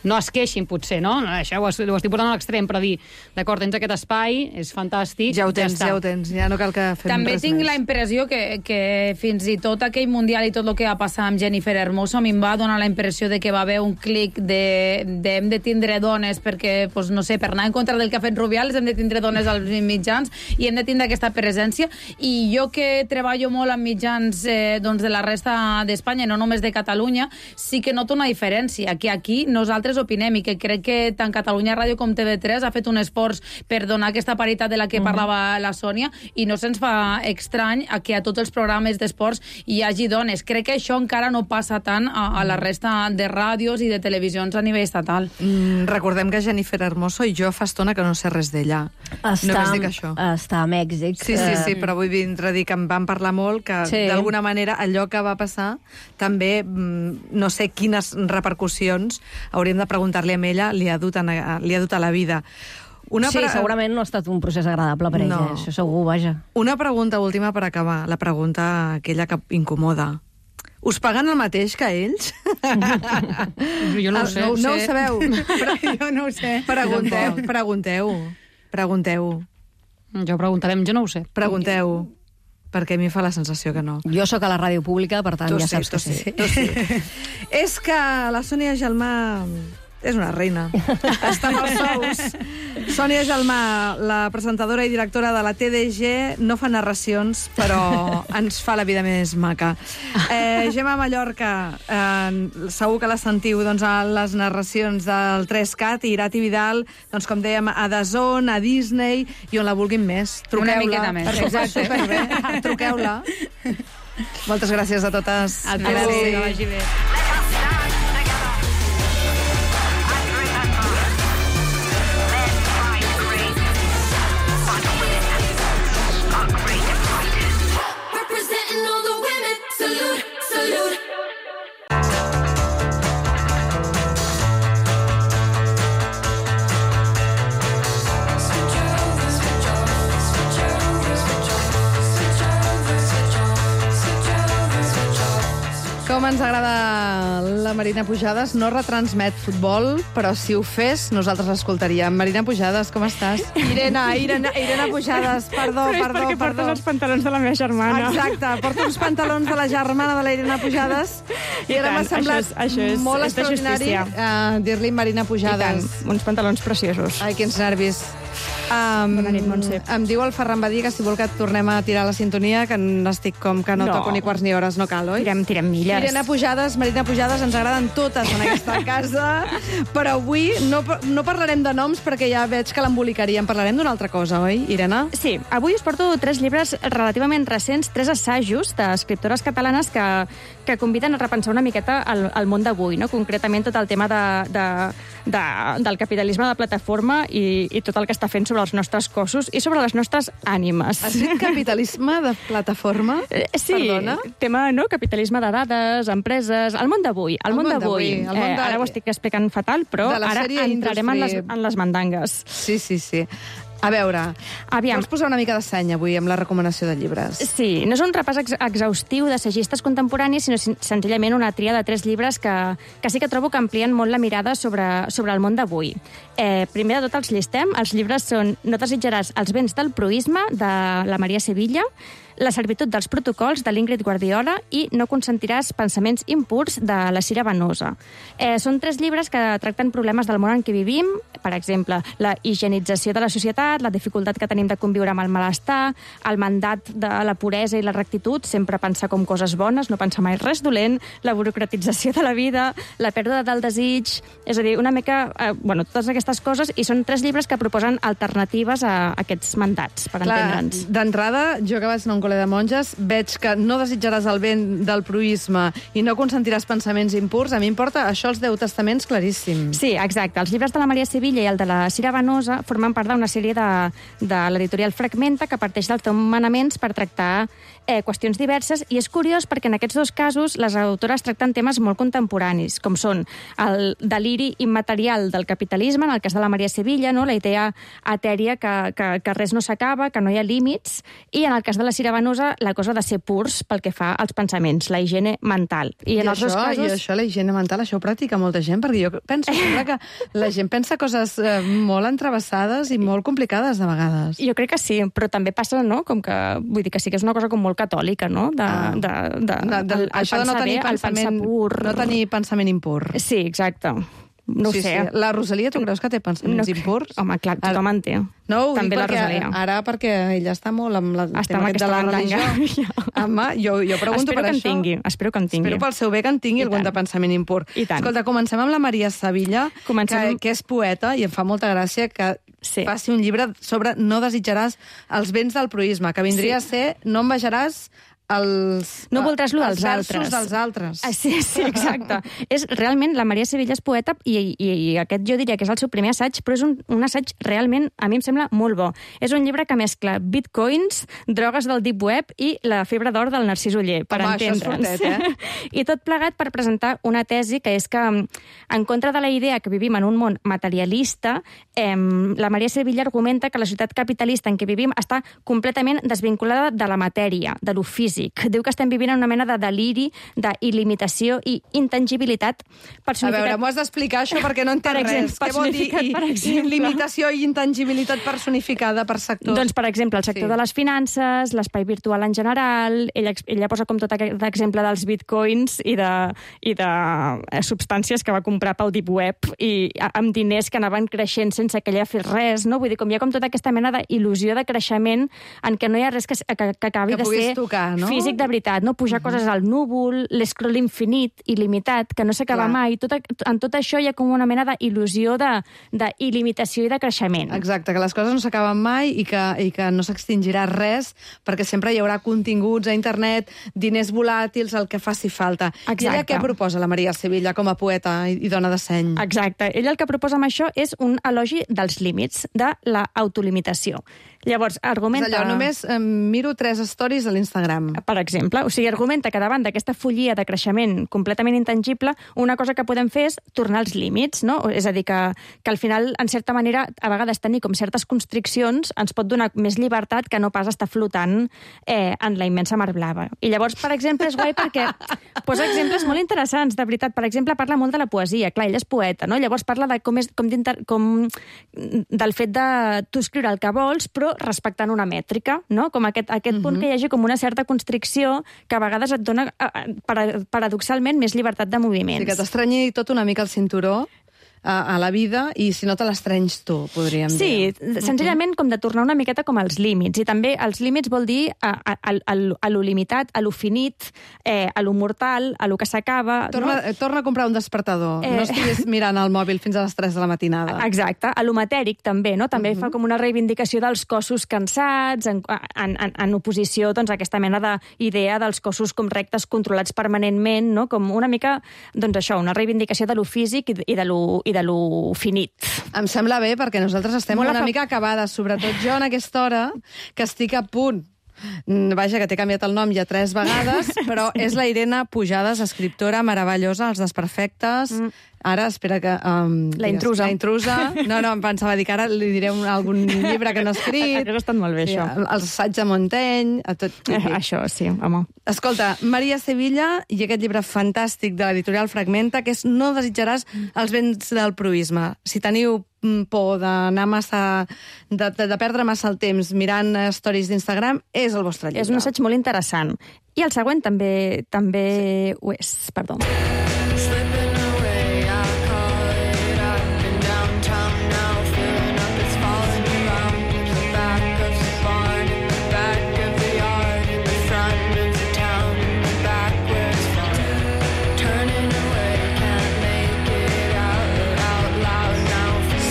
no es queixin, potser, no? Això ho, ho estic portant a l'extrem, però dir, d'acord, tens aquest espai, és fantàstic... Ja ho tens, està. ja ho tens. Ja no cal que fem També res tinc més. la impressió que, que fins i tot aquell Mundial i tot el que va passar amb Jennifer Hermoso a mi em va donar la impressió de que va haver un clic de, de hem de tindre dones perquè, pues, no sé, per anar en contra del que ha fet Rubiales hem de tindre dones als mitjans i hem de tindre aquesta presència. I jo que treballo molt amb mitjans eh, doncs de la resta d'Espanya, no només de Catalunya, sí que noto una diferència, que aquí nosaltres opinem i que crec que tant Catalunya Ràdio com T V tres ha fet un esforç per donar aquesta paritat de la que parlava la Sònia i no se'ns fa estrany a que a tots els programes d'esports hi hagi dones. Crec que això encara no passa tant a, a la resta de ràdios i de televisions a nivell estatal. Mm, recordem que Jennifer Hermoso i jo fa estona que no sé res d'ella. Està, Només dic això. està a Mèxic. Sí, sí, sí, però vull vindre a dir que em van parlar molt, que Sí. d'alguna manera allò que va passar també, mm, no sé quines repercussions, hauríem de preguntar-li a ella, li ha dut a, li ha dut a la vida. Una Sí, pre- segurament no ha estat un procés agradable per ella, No. això segur, vaja. Una pregunta última per acabar, la pregunta aquella que incomoda. Us paguen el mateix que ells? Jo no ho sé. No, no ho sabeu? jo no ho sé. Pregunteu, pregunteu, pregunteu, Jo preguntarem, jo no ho sé. pregunteu, perquè a mi fa la sensació que no. Jo sóc a la ràdio pública, per tant, Tu ja sí, saps tu que sí. sí, tu sí. És que la Sònia Gelmà És una reina. Està amb els sous. Sònia Gelmà, la presentadora i directora de la T D G, no fa narracions, però ens fa la vida més maca. Eh, Gemma Mallorca, eh, segur que la sentiu doncs, a les narracions del tres cat, i Irati Vidal, doncs, com dèiem, a D A Z N, a Disney, i on la vulguin més. Una Truqueu-la. miqueta més. Perquè ho fa superbé. Truqueu-la. Moltes gràcies a totes. A tu, Merci. que vagi bé. Representing all the women. Salute, salute. Com ens agrada la Marina Pujades. No retransmet futbol, però si ho fes, nosaltres l'escoltaríem. Marina Pujades, com estàs? Irene, Irene, Irene Pujades, perdó, Però és perdó, perquè perdó. portes els pantalons de la meva germana. Exacte, porto uns pantalons de la germana de la Irene Pujades i, I ara tant, m'ha semblat això és- això és- molt és de extraordinari justícia. uh, dir-li Marina I tant, Pujades. uns pantalons preciosos. Ai, quins nervis. Um, Bona nit, Montse. Em diu el Ferran Badí que si vol que et tornem a tirar la sintonia, que n'estic com que no, No. toco ni quarts ni hores, no cal, oi? Tirem, tirem milles. Irene Pujades, Marina Pujades, ens agraden totes en aquesta casa, però avui no, no parlarem de noms perquè ja veig que l'embolicaríem. Parlarem d'una altra cosa, oi, Irene? Sí, avui us porto tres llibres relativament recents, tres assajos d'escriptores catalanes que, que conviden a repensar una miqueta el, el món d'avui, no? Concretament tot el tema de, de, de, del capitalisme de plataforma i, i tot el que està fent sobre els nostres cossos i sobre les nostres ànimes. Has dit capitalisme de plataforma? Eh, Sí, Perdona? tema, no? Capitalisme de dades, empreses, el món d'avui, el, El món món d'avui. d'avui, el món Eh, de- ara ho estic explicant fatal, però De la ara sèrie entrarem en les, Industry. en les mandangues. Sí, sí, sí. A veure, Aviam. vols posar una mica de seny avui amb la recomanació de llibres? Sí, no és un repàs ex exhaustiu d'assagistes contemporanis, sinó sen- senzillament una tria de tres llibres que, que sí que trobo que amplien molt la mirada sobre, sobre el món d'avui. Eh, primer de tot els llistem. Els llibres són No desitjaràs els béns del proïsme, de la Maria Sevilla, La servitud dels protocols, de l'Ingrid Guardiola, i No consentiràs pensaments impurs, de la Cira Venosa. Eh, són tres llibres que tracten problemes del món en què vivim, per exemple, la higienització de la societat, la dificultat que tenim de conviure amb el malestar, el mandat de la puresa i la rectitud, sempre pensar com coses bones, no pensar mai res dolent, la burocratització de la vida, la pèrdua del desig, és a dir, una mica, eh, bueno, totes aquestes coses, i són tres llibres que proposen alternatives a aquests mandats, per entendre'ns. D'entrada, jo que vaig anar a un col·le de monges, veig que no desitjaràs el bé del proïsme i no consentiràs pensaments impurs. A mi em porta això els Deu Testaments claríssim. Sí, exacte. Els llibres de la Maria Sevilla i el de la Cira Venosa formen part d'una sèrie de, de l'editorial Fragmenta que parteix dels deu manaments per tractar eh, qüestions diverses, i és curiós perquè en aquests dos casos les autores tracten temes molt contemporanis, com són el deliri immaterial del capitalisme, en el cas de la Maria Sevilla, no? La idea etèria que, que, que res no s'acaba, que no hi ha límits, i en el cas de la Cira Venosa, la cosa de ser purs pel que fa als pensaments, la higiene mental. I, I, en els això, dos casos... I això, la higiene mental, això ho practica molta gent, perquè jo penso sempre que la gent pensa coses eh, molt entrevessades i molt complicades de vegades. Jo crec que sí, però també passa, no?, com que, vull dir que sí que és una cosa com molt catòlica, no?, de, Ah. de, de, De, de, el, el això de no pensar tenir, bé, el pensament, pensar pur... no tenir pensament impur. Sí, exacte. No sí, ho sé. Sí. La Rosalia, tu creus que té pensaments No- impurs? Home, clar, tothom en té. No, ho També dic la perquè, Rosalia. ara perquè ella està molt amb la, Està tema amb aquest de aquesta la mandanga. religió. Home, jo, jo pregunto Espero per que en això. tingui, espero que en tingui. Espero pel seu bé que en tingui I algun tant. de pensament impur. I tant. Escolta, comencem amb la Maria Sevilla, Comencem- que, que és poeta, i em fa molta gràcia que Sí. faci un llibre sobre No desitjaràs els béns del proïsme, que vindria Sí. a ser No envejaràs els, No voldràs lo els dels versos altres. dels altres. Ah, sí, sí, exacte. és realment, la Maria Sevilla és poeta i, i, i aquest jo diria que és el seu primer assaig, però és un, un assaig realment, a mi em sembla molt bo. És un llibre que mescla bitcoins, drogues del deep web i la febre d'or del Narcís Oller, per Home, això és entendre'ns. fortet, eh? I tot plegat per presentar una tesi que és que, en contra de la idea que vivim en un món materialista, eh, la Maria Sevilla argumenta que la societat capitalista en què vivim està completament desvinculada de la matèria, de lo físic, físic. Diu que estem vivint en una mena de deliri, d'il·limitació i intangibilitat A personificat... veure, m'ho has d'explicar això perquè no entenc Per exemple, res. Què vol dir personificat, per exemple. limitació i intangibilitat personificada per sectors? Doncs, per exemple, el sector Sí. sí. de les finances, l'espai virtual en general, ella, ex- ella posa com tot aquest exemple dels bitcoins i de, i de eh, substàncies que va comprar pel deep web i a- amb diners que anaven creixent sense que ella fes res, no? Vull dir, com hi ha com tota aquesta mena d'il·lusió de creixement en què no hi ha res que, s- que, que acabi Que de puguis ser tocar, no? físic de veritat, no? Pujar uh -huh. coses al núvol, l'escroll infinit, il·limitat, que no s'acaba Clar. mai. Tot, a- en tot això hi ha com una mena d'il·lusió de, d'il·limitació i de creixement. Exacte, que les coses no s'acaben mai i que, i que no s'extingirà res perquè sempre hi haurà continguts a internet, diners volàtils, el que faci falta. Exacte. I ella què proposa, la Maria Sevilla, com a poeta i, i dona de seny? Exacte. Ella el que proposa amb això és un elogi dels límits, de l'autolimitació. Llavors, argumenta... És allò, només eh, miro tres stories a l'Instagram. Per exemple, o sigui, argumenta que davant d'aquesta follia de creixement completament intangible, una cosa que podem fer és tornar als límits, no? És a dir, que, que al final, en certa manera, a vegades tenir com certes constriccions ens pot donar més llibertat que no pas estar flotant eh, en la immensa mar blava. I llavors, per exemple, és guai perquè posa exemples molt interessants, de veritat. Per exemple, parla molt de la poesia. Clar, ella és poeta, no? Llavors parla de com és, com, com del fet de tu escriure el que vols, però respectant una mètrica, no? Com aquest, aquest punt que hi hagi com una certa constricció que a vegades et dona, eh, para- paradoxalment, més llibertat de moviments. Sí, que t'estrenyi tot una mica el cinturó a, a la vida i si no te l'estrenys tu, podríem Sí, dir. senzillament com de tornar una miqueta com als límits. I també els límits vol dir a, a, a, a, a lo limitat, a lo finit, eh, a lo mortal, a lo que s'acaba... Torna, no? torna a comprar un despertador. Eh. No estiguis mirant el mòbil fins a les tres de la matinada. Exacte, a lo matèric també, no? També uh -huh. fa com una reivindicació dels cossos cansats, en, en, en, en oposició doncs, a aquesta mena d'idea dels cossos com rectes controlats permanentment, no? Com una mica, doncs això, una reivindicació de lo físic i de, i de lo, i de lo finit. Em sembla bé, perquè nosaltres estem Molt una afa- mica acabades, sobretot jo en aquesta hora, que estic a punt. Mm, Vaja, que t'he canviat el nom ja tres vegades, però és la Irene Pujades, escriptora meravellosa, Els desperfectes. Mm. Ara, espera que... Um, La intrusa. La intrusa. No, no, em pensava dir que ara li diré un, algun llibre que no ha escrit. Hauria estat molt bé, Sí, això. el assaig de Montaigne, a tot... Eh, això, sí, home. Escolta, Maria Sevilla i aquest llibre fantàstic de l'editorial Fragmenta, que és No desitjaràs els béns del proïsme. Si teniu mm, por d'anar massa... De, de, de perdre massa el temps mirant eh, stories d'Instagram, és el vostre llibre. És un assaig molt interessant. I el següent també també sí. ho és, perdó.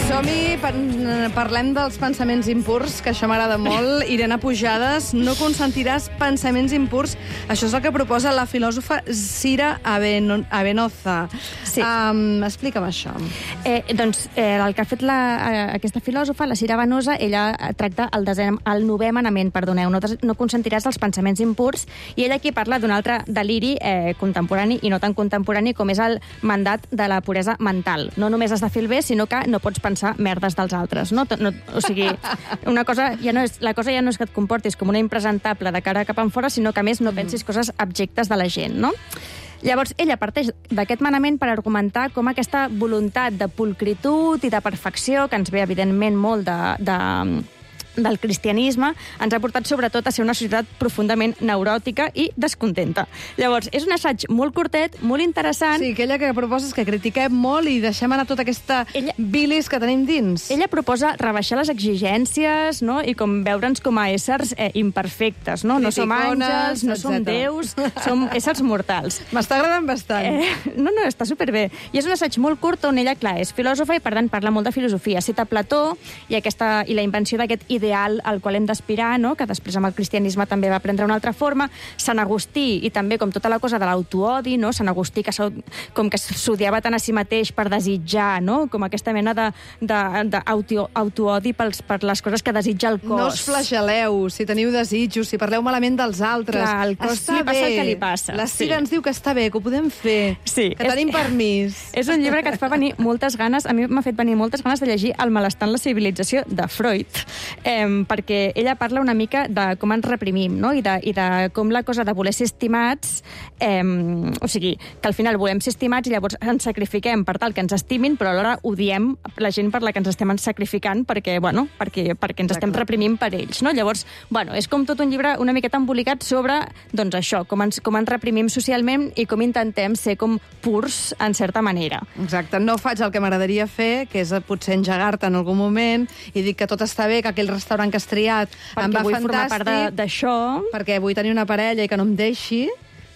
Som-hi, par parlem dels pensaments impurs, que això m'agrada molt. Irene Pujades, no consentiràs pensaments impurs. Això és el que proposa la filòsofa Cira Aveno Avenoza. Sí. Um, explica'm això. Eh, doncs eh, el que ha fet la, eh, aquesta filòsofa, la Cira Venosa, ella tracta el, desè, el novè manament, perdoneu, no, des- no consentiràs els pensaments impurs, i ella aquí parla d'un altre deliri eh, contemporani i no tan contemporani com és el mandat de la puresa mental. No només has de fer el bé, sinó que no pots pensar merdes dels altres. No? No, o sigui, una cosa ja no és, la cosa ja no és que et comportis com una impresentable de cara cap enfora, sinó que a més no pensis coses abjectes de la gent, no? Llavors, ella parteix d'aquest manament per argumentar com aquesta voluntat de pulcritud i de perfecció, que ens ve, evidentment, molt de, de, del cristianisme, ens ha portat sobretot a ser una societat profundament neuròtica i descontenta. Llavors, és un assaig molt curtet, molt interessant. Sí, aquella que proposa és que critiquem molt i deixem anar tota aquesta Ella- bilis que tenim dins. Ella proposa rebaixar les exigències, no? I com veure'ns com a éssers eh, imperfectes, no? No som Criticones, àngels, no som etcètera. déus, som éssers mortals. M'està agradant bastant. Eh, no, no, està superbé. I és un assaig molt curt on ella, clar, és filòsofa i, per tant, parla molt de filosofia. Cita Plató i, aquesta, i la invenció d'aquest ideal al qual hem d'aspirar, no? Que després amb el cristianisme també va prendre una altra forma. Sant Agustí, i també com tota la cosa de l'autoodi, no? Sant Agustí, que s'au- com que s'odiava tant a si mateix per desitjar, no? Com aquesta mena de, de, de auto, autoodi pels, per les coses que desitja el cos. No us flageleu si teniu desitjos, si parleu malament dels altres. Clar, al cos està li passa bé. el que li passa. La Cira Sí. ens diu que està bé, que ho podem fer, Sí, que és- tenim permís. És un llibre que et fa venir moltes ganes, a mi m'ha fet venir moltes ganes de llegir El malestar en la civilització de Freud. Eh, eh, perquè ella parla una mica de com ens reprimim, no? I de, i de com la cosa de voler ser estimats, eh, o sigui, que al final volem ser estimats i llavors ens sacrifiquem per tal que ens estimin, però alhora odiem la gent per la que ens estem sacrificant perquè, bueno, perquè, perquè ens Exacte. estem reprimint per ells, no? Llavors, bueno, és com tot un llibre una miqueta embolicat sobre, doncs això, com ens, com ens reprimim socialment i com intentem ser com purs, en certa manera. Exacte, no faig el que m'agradaria fer, que és potser engegar-te en algun moment i dir que tot està bé, que aquell restaurant que has triat Perquè em va vull fantàstic, formar part de- d'això. perquè vull tenir una parella i que no em deixi,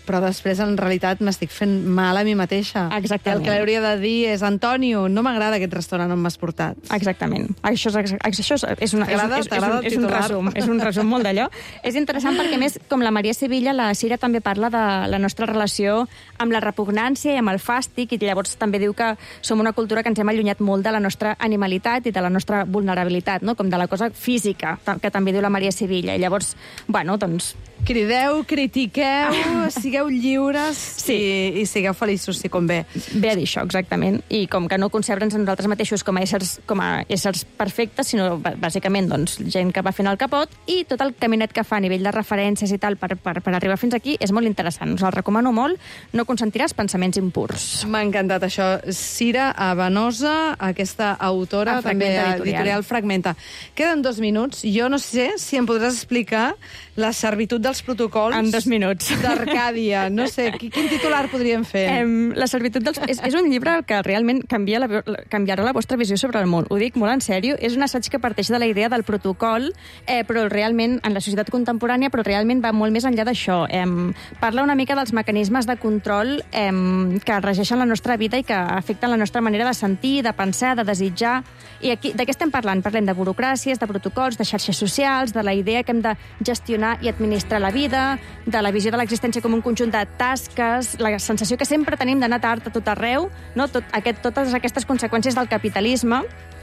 però després en realitat m'estic fent mal a mi mateixa. Exactament. El que li hauria de dir és, Antonio, no m'agrada aquest restaurant on m'has portat. Exactament. Això és, això és, és, una, és, T'agrada? és, és, T'agrada un, el és un titular? resum, és un resum molt d'allò. És interessant perquè, a més, com la Maria Sevilla, la Cira també parla de la nostra relació amb la repugnància i amb el fàstic, i llavors també diu que som una cultura que ens hem allunyat molt de la nostra animalitat i de la nostra vulnerabilitat, no? Com de la cosa física, que també diu la Maria Sevilla. I llavors, bueno, doncs... Crideu, critiqueu, sigueu lliures Sí. i, i sigueu feliços, si convé. Ve a dir això, exactament. I com que no concebre'ns a nosaltres mateixos com a éssers, com a éssers perfectes, sinó b- bàsicament doncs, gent que va fent el capot, i tot el caminet que fa a nivell de referències i tal per, per, per arribar fins aquí és molt interessant. Us el recomano molt. No consentiràs pensaments impurs. M'ha encantat això. Cira Abanosa, aquesta autora, A també Fragmenta a Editorial. editorial Fragmenta. Queden dos minuts. Jo no sé si em podràs explicar la servitud dels protocols En dos minuts. d'Arcàdia. No sé, qui- quin titular podríem fer? Em, la servitud dels... És, és un llibre que realment canvia la, canviarà la vostra visió sobre el món. Ho dic molt en sèrio. És un assaig que parteix de la idea del protocol, eh, però realment en la societat contemporània, però realment va molt més enllà d'això. Em, parla una mica dels mecanismes de control em, que regeixen la nostra vida i que afecten la nostra manera de sentir, de pensar, de desitjar. I aquí, de què estem parlant? Parlem de burocràcies, de protocols, de xarxes socials, de la idea que hem de gestionar i administrar la vida, de la visió de l'existència com un conjunt de tasques, la sensació que sempre tenim d'anar tard a tot arreu, no? Tot aquest, totes aquestes conseqüències del capitalisme.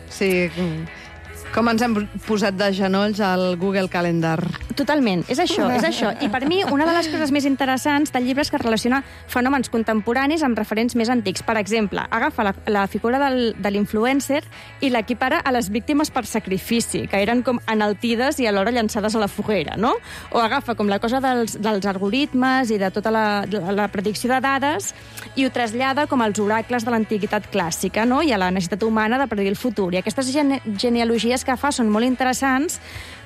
Sí, com ens hem posat de genolls al Google Calendar. Totalment, és això, és això. I per mi, una de les coses més interessants del llibre és que relaciona fenòmens contemporanis amb referents més antics. Per exemple, agafa la, la figura del, de l'influencer i l'equipara a les víctimes per sacrifici, que eren com enaltides i alhora llançades a la foguera, no? O agafa com la cosa dels, dels algoritmes i de tota la, la, la predicció de dades i ho trasllada com als oracles de l'antiguitat clàssica, no? I a la necessitat humana de predir el futur. I aquestes gene genealogies que fa són molt interessants,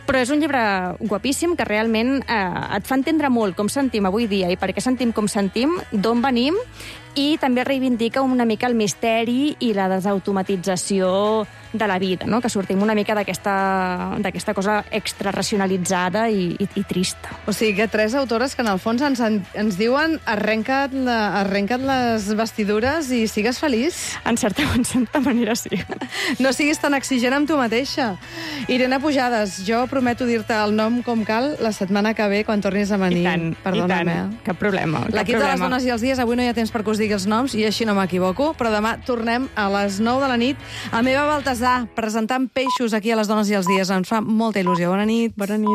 però és un llibre guapíssim que realment eh, et fa entendre molt com sentim avui dia i per què sentim com sentim, d'on venim, i també reivindica una mica el misteri i la desautomatització de la vida, no? Que sortim una mica d'aquesta d'aquesta cosa extraracionalitzada i, i, i trista. O sigui que tres autores que en el fons ens, ens diuen arrenca't, la, arrenca't les vestidures i sigues feliç. En certa, en certa manera, sí. No siguis tan exigent amb tu mateixa. Irene Pujades, jo prometo dir-te el nom com cal la setmana que ve quan tornis a venir. I tant, Perdona'm, i tant. eh? Cap problema. Cap L'equip de les problema. dones i els dies, avui no hi ha temps per que us digui els noms i així no m'equivoco, però demà tornem a les nou de la nit a Meva Baltasar, presentant peixos aquí a les dones i els dies. Ens fa molta il·lusió. Bona nit. Bona nit.